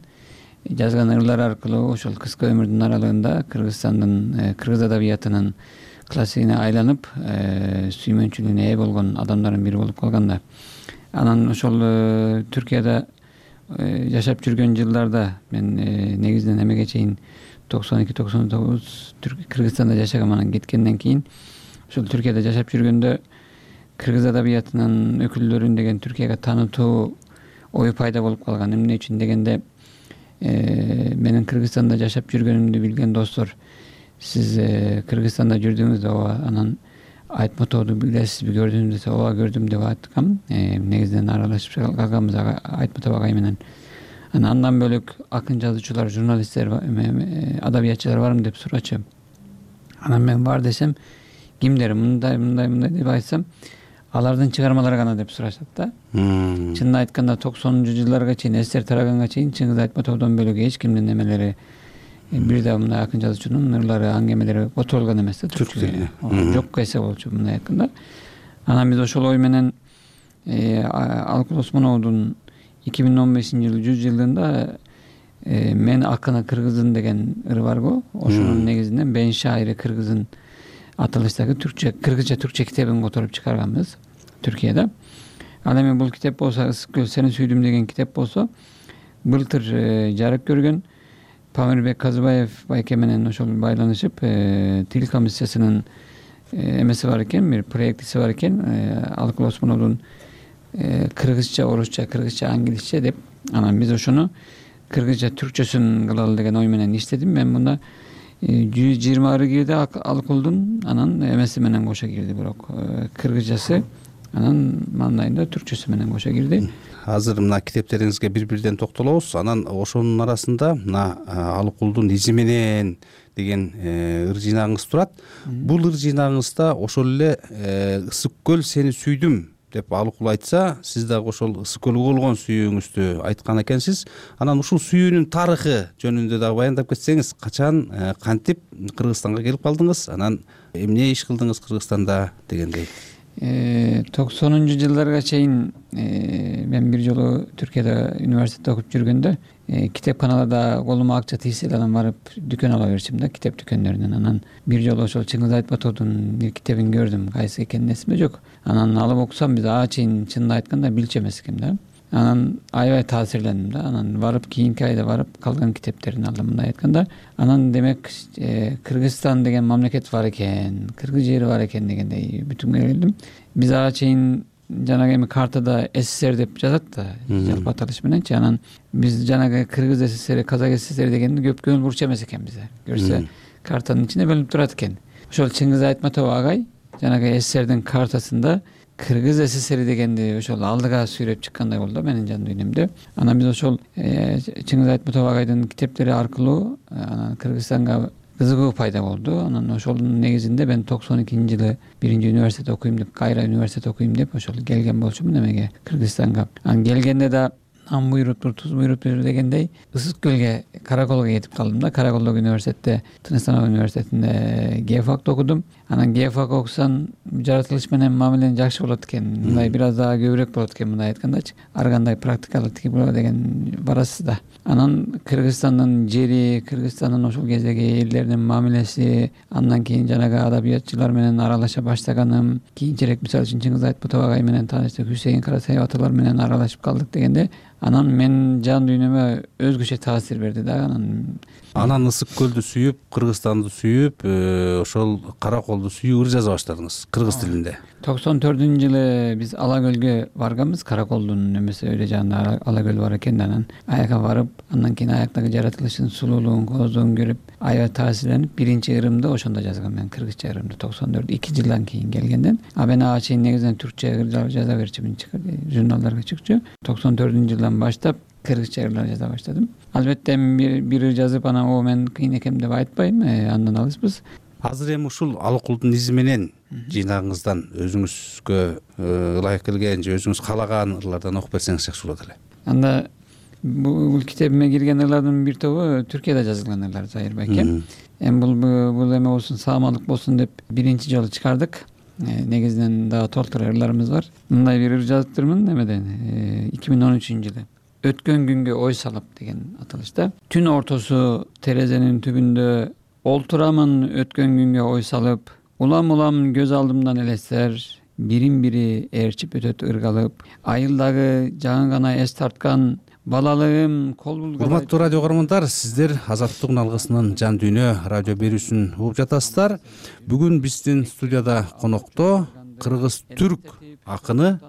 жазган ырлар аркылуу ошол кыска өмүрдүн аралыгында Кыргызстандын кыргыз адабиятынын классигине айланып, сүймөнчүлүгүнө ээ болгон адамдардын бири болуп калган да. Анан ошол Түркияда жашап жүргөн жылдарда мен негизинен эмеге чейин 92-99 Кыргызстанда жашагам. Анан кеткенден кийин ошол Түркияда жашап жүргөндө кыргыз адабиятынын өкүлдөрүн деген Түркияга таанытуу ою пайда болуп калган. Эмне үчүн дегенде, менин Кыргызстанда жашап жүргөнүмдү билген достор, сиз Кыргызстанда жүрдүңүз да, ооба, анан Айтматовду билесизби, көрдүңүзбү десе, ооба көрдүм деп айткам. Негизинен аралашып калганбыз Айтматов агай менен. Андан бөлөк акын жазуучулар, журналисттер, адабиятчылар барбы деп сурачу. Анан мен бар десем, кимдер мындай деп айтсам, алардын чыгармалары гана деп сурашат да. Чынын айтканда 90-жылдарга чейин, СССР тараганга чейин Чыңгыз Айтматовдон бөлөк эч кимдин эмелери, бир да мындай акын жазуучунун ырлары, аңгемелери которулган эмес да, түрк тилине. Жокко эсе болчу мындай айтканда. Анан биз ошол ой менен Алыкул Осмоновдун 2015-жылы 100 жылдыгында мен акыны кыргызын деген ыры барго, ошонун негизинен Бен шайыры кыргызын аталыштагы кыргызча түркче китебин которуп чыгарганбыз Түркияда. Ал эми бул китеп болсо, Ысык көл, сени сүйдүм деген китеп болсо, былтыр жарык көргөн. Памирбек Казыбаев байке менен ошол байланышып, тил комиссиясынын эмеси бар экен, бир проектиси бар экен, Алыкул Осмоновдун кыргызча, орусча, кыргызча, англисче деп. Анан биз ошону кыргызча түркчөсүн кылалы деген ой менен иштедим. Мен мында 120 ыры кирди Алыкулдун, анан эмеси менен кошо кирди, бирок кыргызчасы, анан мандайында түркчөсү менен кошо кирди. Азыр мына китептериңизге бир-бирден токтолобуз. Анан ошонун арасында мына Алыкулдун изи менен деген ыр жыйнагыңыз турат. Бул ыр жыйнагыңызда ошол эле Ысык көл, сени сүйдүм деп Алыкул айтса, сиз дагы ошол Ысык көлгө болгон сүйүүңүздү айткан экенсиз. Анан ушул сүйүүнүн тарыхы жөнүндө дагы баяндап кетсеңиз, качан, кантип Кыргызстанга келип калдыңыз, анан эмне иш кылдыңыз Кыргызстанда дегендей. 90-жылдарга чейин мен бир жолу Түркияда университетте окуп жүргөндө китепканаларда колума акча тийсе да анан барып дүкөн ала берчим да, китеп дүкөндөрүнөн. Анан бир жолу ошол Чыңгыз Айтматовдун бир китебин көрдүм, кайсы экенин эсимде жок. Анан алып окусам, биз чейин чынын айтканда билчү эмес экем да. Анан аябай таасирлендим да. Анан барып кийинки айда барып калган китептерин алдым, мындай айтканда. Анан демек Кыргызстан деген мамлекет бар экен, кыргыз жери бар экен дегендей бүтүнгө келдим. Биз чейин жанагы эми картада СССР деп жазат да, жалпы аталыш мененчи. Анан биз жанагы Кыргыз СССР, Казак СССР дегенди көп көңүл бурчу эмес экен бизде. Көрсө картанын ичинде бөлүнүп турат экен. Ошол Чыңгыз Айтматов агай жанагы СССРдин картасында Кыргыз СССР дегенди ошол алдыга сүйрөп чыккандай болду менин жан дүйнөмдө. Анан биз ошол Чыңгыз Айтматов агайдын китептери аркылуу анан Кыргызстанга кызыгуу пайда болду. Анан ошонун негизинде мен 92-жылы 1-университет окуйм деп, Кайра университет окуйм деп ошол келген болчумун эмеге, Кыргызстанга. Анан келгенде да ам буйруптур, туз буйруптур дегендей Ысык көлгө, Караколго кетип калдым да. Караколдогу университетте, Тыныстанов университетинде геофакты окудум. Анан геофак окусаң, жаратылыш менен мамилең жакшы болот экен. Мындай бир аз дагы көбүрөөк болот экен, мындай айткандачы. Ар кандай практикалык тиги болот деген барасыз да. Анан Кыргызстандын жери, Кыргызстандын ошол кездеги элдеринин мамилеси, андан кийин жанагы адабиятчылар менен аралаша баштаганым, кийинчерээк мисалы үчүн Чыңгыз Айтматов агай менен тааныштык, Хусейин Карасаев аталар менен аралашып калдык дегенде, анан мен жан дүйнөмө өзгөчө таасир берди да. Анан Ысык көлдү сүйүп, Кыргызстанды сүйүп, ошол Караколду сүйүп ыр жаза баштадыңыз кыргыз тилинде. жылы биз Ала көлгө барганбыз. Караколдун эмеси өйдө жанында Ала көл бар экен. Анан аяка барып, андан кийин аяктагы жаратылыштын сулуулугун, кооздугун көрүп, аябай таасирленип, биринчи ырымды ошондо жазгам мен, кыргызча ырымды 2 жылдан кийин келгенден. Мен ага чейин негизинен түркчө ыр жаза берчүмүн, журналдарга чыкчу. 94-жылдан баштап кыргызча ырлар жаза баштадым. Албетте бир ыр жазып, анан мен кыйын экем деп айтпайм, андан алыспыз. Азыр эми ушул Алыкулдун изи менен жыйнагыңыздан өзүңүзгө ылайык келген же өзүңүз каалаган ырлардан окуп берсеңиз жакшы болот эле. Анда бул китебиме кирген ырлардын бир тобу Түркияда жазылган ырлар, Зайыр байке. Эми бул эме болсун, саамалык болсун деп биринчи жолу чыгардык. Негизинен дагы толтура ырларыбыз бар. Мындай бир ыр жазыптырмын эмеден 2013-жылы. Өткөн күнгө ой салып деген аталышта. Түн ортосу терезенин түбүндө олтурамын өткөн күнгө ой салып, улам көз алдымдан элестер, бирин бири ээрчип өтөт ыргалып, айылдагы жаңы гана эс тарткан балалыгым кол булган. Урматтуу радио көрөрмандар, сиздер Азаттыктын алгысынын жан дүйнө радио берүүсүн угуп жатасыздар. Бүгүн биздин студияда конокто кыргыз-түрк акыны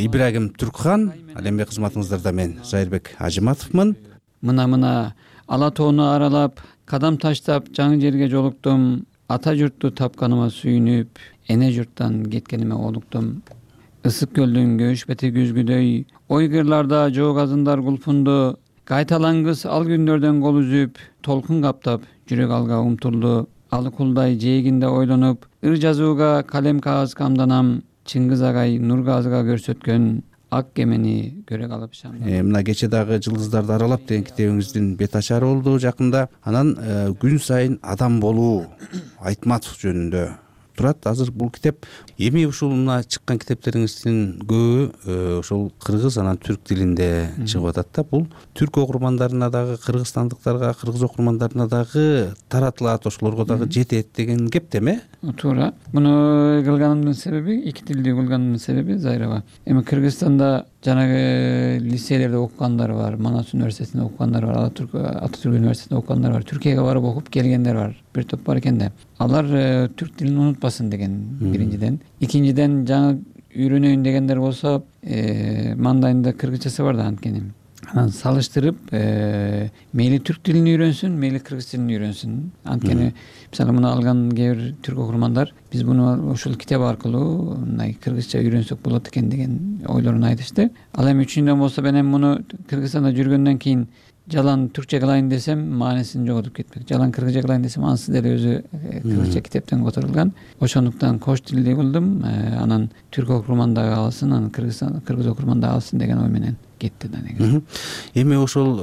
Ибрагим Түркхан. Ал эми кызматыңыздарда мен Зайырбек Ажыматовмун. Мына ала тоону аралап, кадам таштап жаңы жерге жолуктум. Ата журтту тапканыма сүйүнүп, эне журттан кеткениме олуктум. Ысык көлдүн көш бети күзгүдөй, ойгырларда жоо газындар кулпунду. Кайталаңгыс ал күндөрдөн кол үзүп, толкун каптап, жүрөк алга умтулду. Алыкулдай жээгинде ойлонуп, ыр жазууга калем кагаз камданам. Чыңгыз агай Нургазга көрсөткөн ак кемени көрө калып шамдан. Мына кече дагы жылдыздарды аралап деген китебиңиздин бет ачары болду жакында. Анан күн сайын адам болуу Айтматов жөнүндө турат. Азыр бул китеп эми ушул мына чыккан китептериңиздин көбү ошол кыргыз анан түрк тилинде чыгып атат да. Бул түрк окурмандарына дагы, кыргызстандыктарга, кыргыз окурмандарына дагы таратылат, ошолорго дагы жетет деген кеп деме? Туура. Муну кылганымдын себеби, эки тилде кылганымдын себеби Зайрова. Эми Кыргызстанда жанагы лицейлерде окугандар бар, Манас университетинде окугандар бар, Ататүрк университетинде окугандар бар, Түркияга барып окуп келгендер бар. Бир топ бар экен да. Алар түрк тилин унутпасын деген биринчиден. Экинчиден жаңы үйрөнөйүн дегендер болсо, мандайында кыргызчасы бар да анткени. Анан салыштырып, мейли түрк тилин үйрөнсүн, мейли кыргыз тилин үйрөнсүн. Анткени мисалы муну алган кээ бир түрк окурмандар биз муну ушул китеп аркылуу мындай кыргызча үйрөнсөк болот экен деген ойлорун айтышты. Ал эми үчүнчүдөн болсо мен муну Кыргызстанда жүргөндөн кийин жалан түркчө кылайын десем, маанисин жоготуп кетпек. Жалан кыргызча кылайын десем, анысы деле өзү кыргызча китептен которулган. Ошондуктан кош тилде кылдым. Анан түрк окурман дагы алсын, анан кыргыз окурман дагы алсын деген ой менен кетти да негизи. Эми ошол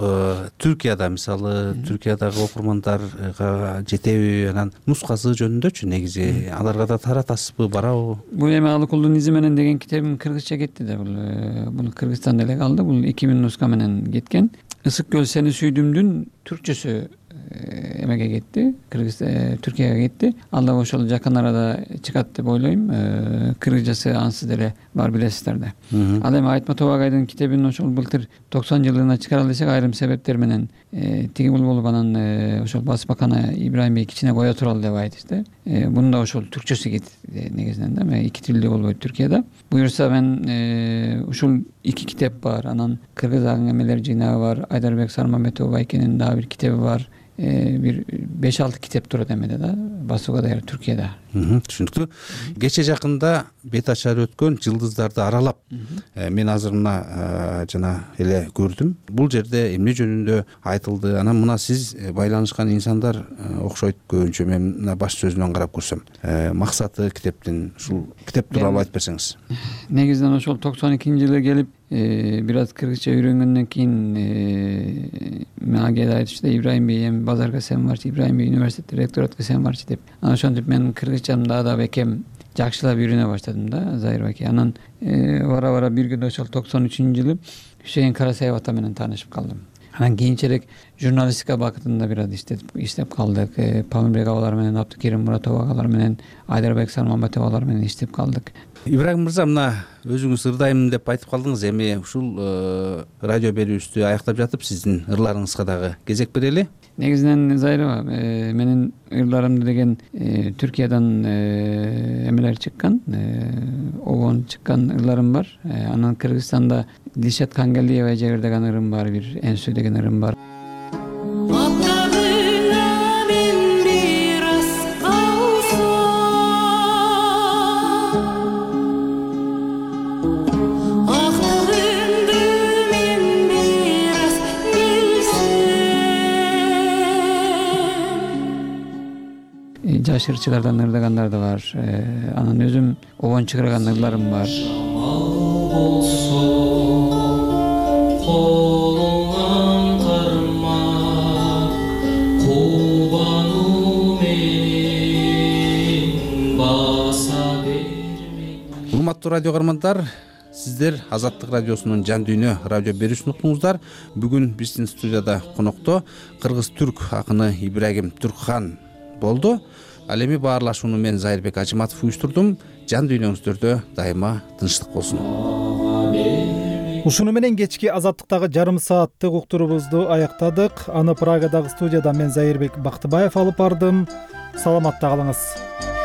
Түркияда мисалы, Түркиядагы окурмандарга жетеби, анан нускасы жөнүндөчү негизи аларга да таратасызбы, барабы? Бул эми Алыкулдун изи менен деген китебим кыргызча кетти да. Бул Кыргызстанда эле калды. Бул 2000 нуска менен кеткен. Ысык көл сени сүйдүмдүн түркчөсү эмеге кетти, Түркияга кетти. Ал да ошол жакын арада чыгат деп ойлойм. Кыргызчасы ансыз деле бар, билесиздер да. Ал эми Айтматов агайдын китебин ошол былтыр 90 жылына чыгара десек, айрым себептер менен тиги бул болуп, анан ошол басмакана Ибрайым бей кичине кое туралы деп айтышты. Буну да ошол түркчөсү кетти негизинен да. Эки тилде болбойт Түркияда. Буюрса мен ушул 2 китеп бар. Анан кыргыз аңгемелер жыйнагы бар. Айдарбек Сармамбетов байкенин дагы бир китеби бар. Бир 5-6 китеп турат эмеде да, басууга даяр Түркияда. Түшүнүктүү. Кече жакында бет ачары өткөн жылдыздарды аралап, мен азыр мына жана эле көрдүм. Бул жерде эмне жөнүндө айтылды? Анан мына сиз байланышкан инсандар окшойт көбүнчө. Мен мына баш сөзүнөн карап көрсөм, максаты китептин, ушул китеп тууралуу айтып берсеңиз. Негизинен ошол 92-жылы келип, бир аз кыргызча үйрөнгөндөн кийин мага келип айтышты, Ибрайым бей эми базарга сен барчы, Ибрайым бей университетте ректоратка сен барчы деп. Анан ошентип мен кыргызчамды да бекем жакшылап үйрөнө баштадым да, Зайыр байке. Анан бара бир күндө ошол 93-жылы Хусейин Карасаев ата менен таанышып калдым. Анан кийинчерээк журналистика бакытында бир аз иштеп калдык. Памирбек агалар менен, Абдыкерим Муратов агалар менен, Айдарбек Сармамбетов агалар менен иштеп калдык. Ибрагим мырза, мына өзүңүз ырдайм деп айтып калдыңыз. Эми ушул радио берүүбүздү аяктап жатып, сиздин ырларыңызга дагы кезек берели. негизинен Зайрова менин ырларымды деген Түркиядан эмелер чыккан, обон чыккан ырларым бар. Анан Кыргызстанда Дилшат Кангалиева жыгырдаган ырым бар, бир Энсү деген ырым бар. Жашыр чыгардан ырдагандар да бар. Анан өзүм обон чыгарган ырларым бар. болсо колуңан карма кубануу менен баса берме. Урматтуу радио каармандар, сиздер Азаттык радиосунун Жан дүйнө радио берүүсүн уктуңуздар. Бүгүн биздин студияда конокто кыргыз-түрк акыны Ибрагим Түркхан болду. Ал эми баарлашууну мен Зайырбек Ажыматов уюштурдум. Жан дүйнөңүздөрдө дайыма тынчтык болсун. Ушуну менен кечки Азаттыктагы жарым сааттык уктурубузду аяктадык. Аны Прагадагы студияда мен Зайырбек Бактыбаев алып бардым. Саламатта калыңыз.